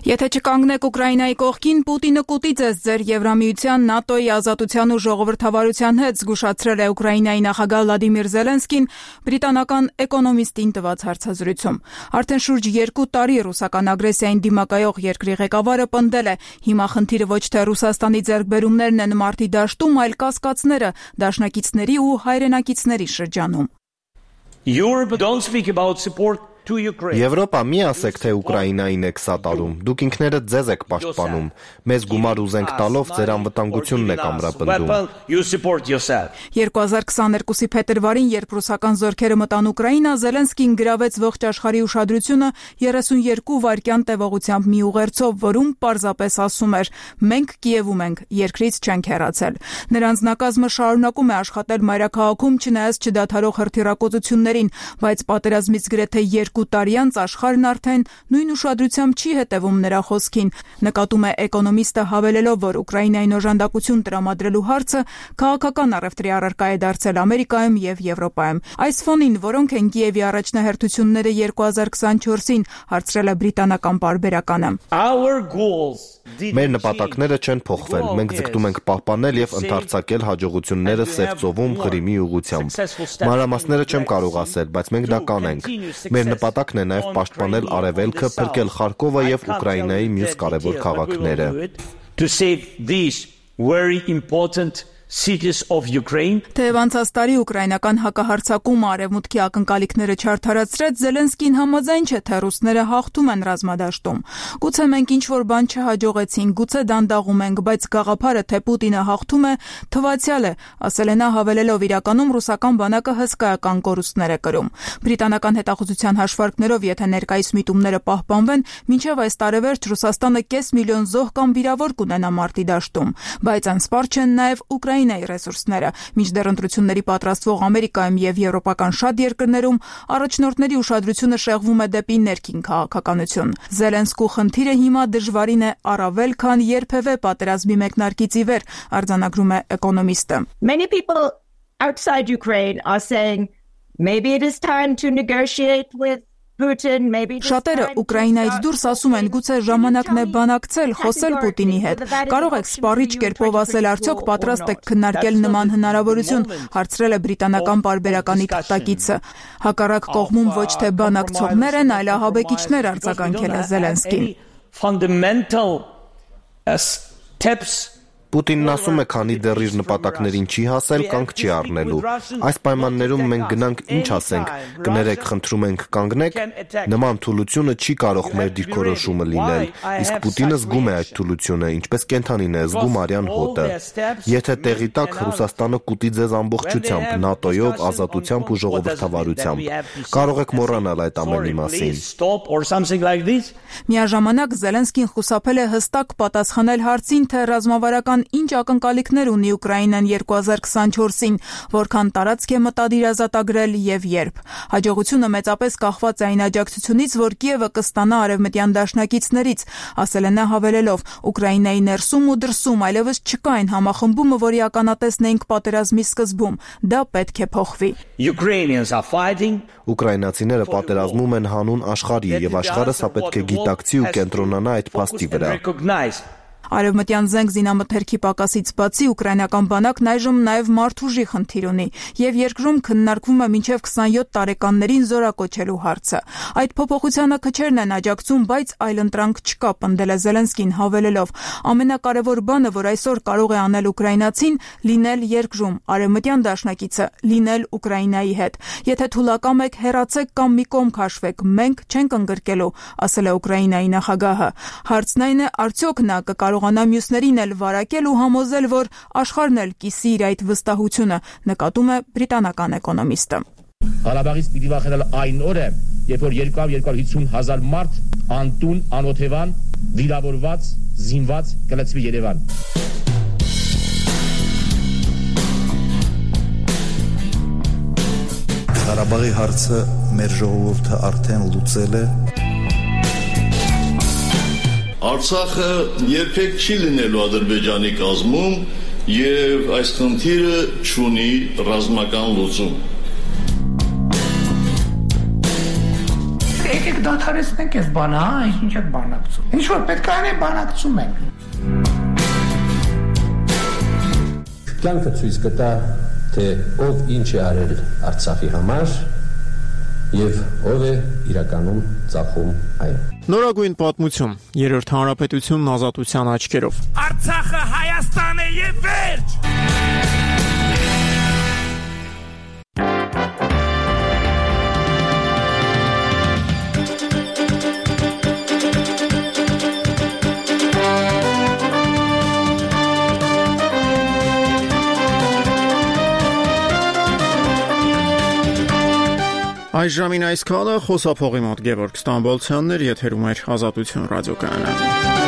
Եթե չկանգնեք Ուկրաինայի կողքին, Պուտինը կուտի ձեզ ձեր Եվրամիության, ՆԱՏՕ-ի, ազատության ու ժողովրդավարության հետ, զգուշացրել է Ուկրաինայի նախագահ Վլադիմիր Զելենսկին բրիտանական Էկոնոմիստին տված հարցազրույցում։ Արդեն շուրջ երկու տարի ռուսական ագրեսիային դիմակայող երկրի ղեկավարը պնդել է, հիմա խնդիրը ոչ թե Ռուսաստանի ձեռքբերումներն են մարտի դաշտում, այլ կասկածները դաշնակիցների ու հայրենակիցների շրջանում։ Europe don't speak about support to Ukraine. Եվրոպա մի ասեք, թե Ուկրաինային եք սատարում, դուք ինքներդ ձեզ եք պաշտպանում, մեզ գումար ուզենք տալով ձեր անվտանգությունն եք ամրապնդում։ երկու հազար քսաներկուսի փետրվարին, երբ ռուսական զորքերը մտան Ուկրաինա, Զելենսկին գրավեց ողջ աշխարհի ուշադրությունը երեսունյերկու վայրկյան տևողությամբ մի ուղերձով, որում պարզապես ասում էր. «Մենք Կիևում ենք, երկրից չենք հեռացել»։ Նրա անձնակազմը շարունակում է աշխատել մայրաքաղաքում, չնայած չդադարող հրթիռակոծություններին, բայց պատերազմից գրեթե երկու տարի անց աշխարհն արդեն նույն ուշադրությամբ չի հետևում նրա խոսքին։ Նկատում է Էկոնոմիստը, հավելելով, որ Ուկրաինային օժանդակություն տրամադրելու հարցը քաղաքական առևտրի առարկա է դարձել Ամերիկայում եւ Եվրոպայում։ Այս ֆոնին որոնք են Կիևի առաջնահերթությունները երկու հազար քսանչորսին, հարցրել է բրիտանական պարբերականը։ Մեր նպատակները չեն փոխվել։ Մենք ձգտում ենք պահպանել եւ ընդարձակել հաջողությունները Սև ծովում Ղրիմի ուղղությամբ։ Մանրամասները չեմ կարող ասել, բայց մենք դա կանենք։ Մեր նպատակն է նաև պաշտպանել Արևելքը, փրկել Խարկովը եւ Ուկրաինայի մյուս կարևոր քաղաքները։ Cities of Ukraine. Թեև անցած տարի ուկրաինական հակահարձակումը արևմուտքի ակնկալիքները չարդարացրեց, Զելենսկին համաձայն չէ, թե ռուսները հաղթում են ռազմադաշտում։ Գուցե մենք ինչ-որ բան չհաջողեցինք, գուցե դանդաղում ենք, բայց գաղափարը, թե Պուտինը հաղթում է, թվացյալ է, ասել է նա, հավելելով իրականում ռուսական բանակը հսկայական կորուստներ է կրում։ Բրիտանական հետախուզության հաշվարկներով, եթե ներկայիս միտումները պահպանվեն, մինչև այս տարեվերջ Ռուսաստանը կես միլիոն զոհ կամ վիրավոր կունենա մարտի դաշտում, բայց անսպառ չեն նաև Ուկրաինայի ռեսուրսները։ Մինչդեռ ընտրությունների պատրաստվող Ամերիկայում եւ եվրոպական շատ երկրներում առաջնորդների ուշադրությունը շեղվում է դեպի ներքին քաղաքականություն։ Զելենսկու խնդիրը հիմա դժվարին է առավել, քան երբևէ պատերազմի մեկնարկից ի վեր, արձանագրում է Էկոնոմիստը։ Many people outside Ukraine are saying maybe it is time to negotiate with Շատերը Ուկրաինայից դուրս ասում են, գուցե ժամանակն է բանակցել, խոսել Պուտինի հետ։ Կարող եք սպառիչ կերպով ասել, արդյոք պատրաստ եք քննարկել նման հնարավորություն, հարցրել է բրիտանական պարբերականի թղթակիցը։ Հակառակ կողմում ոչ թե բանակցողներ են, այլ ահաբեկիչներ, արձագանքել է Զելենսկին։ Պուտինն ասում է, քանի դեռ իր նպատակներին չի հասել, կանգ չի առնելու։ Այս պայմաններում մենք գնանք ինչ ասենք, կներեք, խնդրում ենք կանգնեք, նման թուլությունը չի կարող մեր դիրքորոշումը լինել, իսկ Պուտինը զգում է այդ թուլությունը, ինչպես կենդանին է զգում արյան հոտը։ Եթե տեղի տակ, Ռուսաստանը կուտի ձեզ ամբողջությամբ, ՆԱՏՕ-ով, ազատությամբ ու ժողովրդավարությամբ։ Կարող եք մոռանալ այդ ամենի մասին։ Միաժամանակ Զելենսկին խուսափել է հստակ պատասխանել հարցին, թե ռազմավարական ինչ ակնկալիքներ ունի Ուկրաինան երկու հազար քսանչորսին, որքան տարածք է մտադիր ազատագրել եւ երբ։ Հաջողությունը մեծապես կախված է այն աջակցությունից, որ Կիևը կստանա արևմտյան դաշնակիցներից, ասել է նա, հավելելով. Ուկրաինայի ներսում ու դրսում այլևս չկա այն համախմբումը, որի ականատեսն էինք պատերազմի սկզբում։ Դա պետք է փոխվի։ Ուկրաինացիները պատերազմում են հանուն աշխարհի եւ աշխարհը սա պետք է գիտակցի ու կենտրոնանա այդ փաստի վրա։ Արևմտյան զենք զինամթերքի պակասից բացի ուկրաինական բանակն այժմ նաև մարդուժի խնդիր ունի եւ երկրում քննարկվում է մինչեւ քսանյոթ տարեկաններին զորակոչելու հարցը։ Այդ փոփոխությանը քչերն են աջակցում, բայց այլընտրանք չկա, պնդել է Զելենսկին, հավելելով. ամենակարևոր բանը, որ այսօր կարող է անել ուկրաինացին, լինել երկրում, արևմտյան դաշնակիցը լինել Ուկրաինայի հետ։ Եթե թուլակամ եք, հեռացեք կամ մի կողմ քաշվեք, մենք չենք ընկրկելու, ասել է Ուկրաինայի նախագահը։ Հարցն այն է, արդյոք նա կկարողանա մյուսներին էլ վարակել ու համոզել, որ աշխարհն էլ կիսի իր այդ վստահությունը, նկատում է բրիտանական Էկոնոմիստը։ Ղարաբաղից պիտի վախենալ այն օրը, երբ որ երկու հարյուր հիսուն հազար մարդ անտուն, անօթևան, վիրավորված, զինված կլցվի Երևան։ Ղարաբաղի հարցը մեր ժողովուրդը արդեն լուծել է։ Արցախը երբեք չի լինելու Ադրբեջանի կազմում եւ այս խնդիրը չունի ռազմական լուծում։ Եկեք դադարեցնենք այս բանը, հա, ինչ եք բանակցում։ Ինչ որ պետք է անենք, բանակցում ենք։ Կյանքը ցույց կտա, թե ով ինչ է արել Արցախի համար եւ ով է իրականում ծախում այն։ Նորագույն պատմություն, երրորդ հանրապետությունն ազատության աչքերով։ Արցախը Հայաստան է եւ վերջ։ Այս ժամին այսքանը խոսափողի մոտ Գևորգ Ստամբոլցյանն էր, եթերում էր Ազատություն ռադիոկայանը։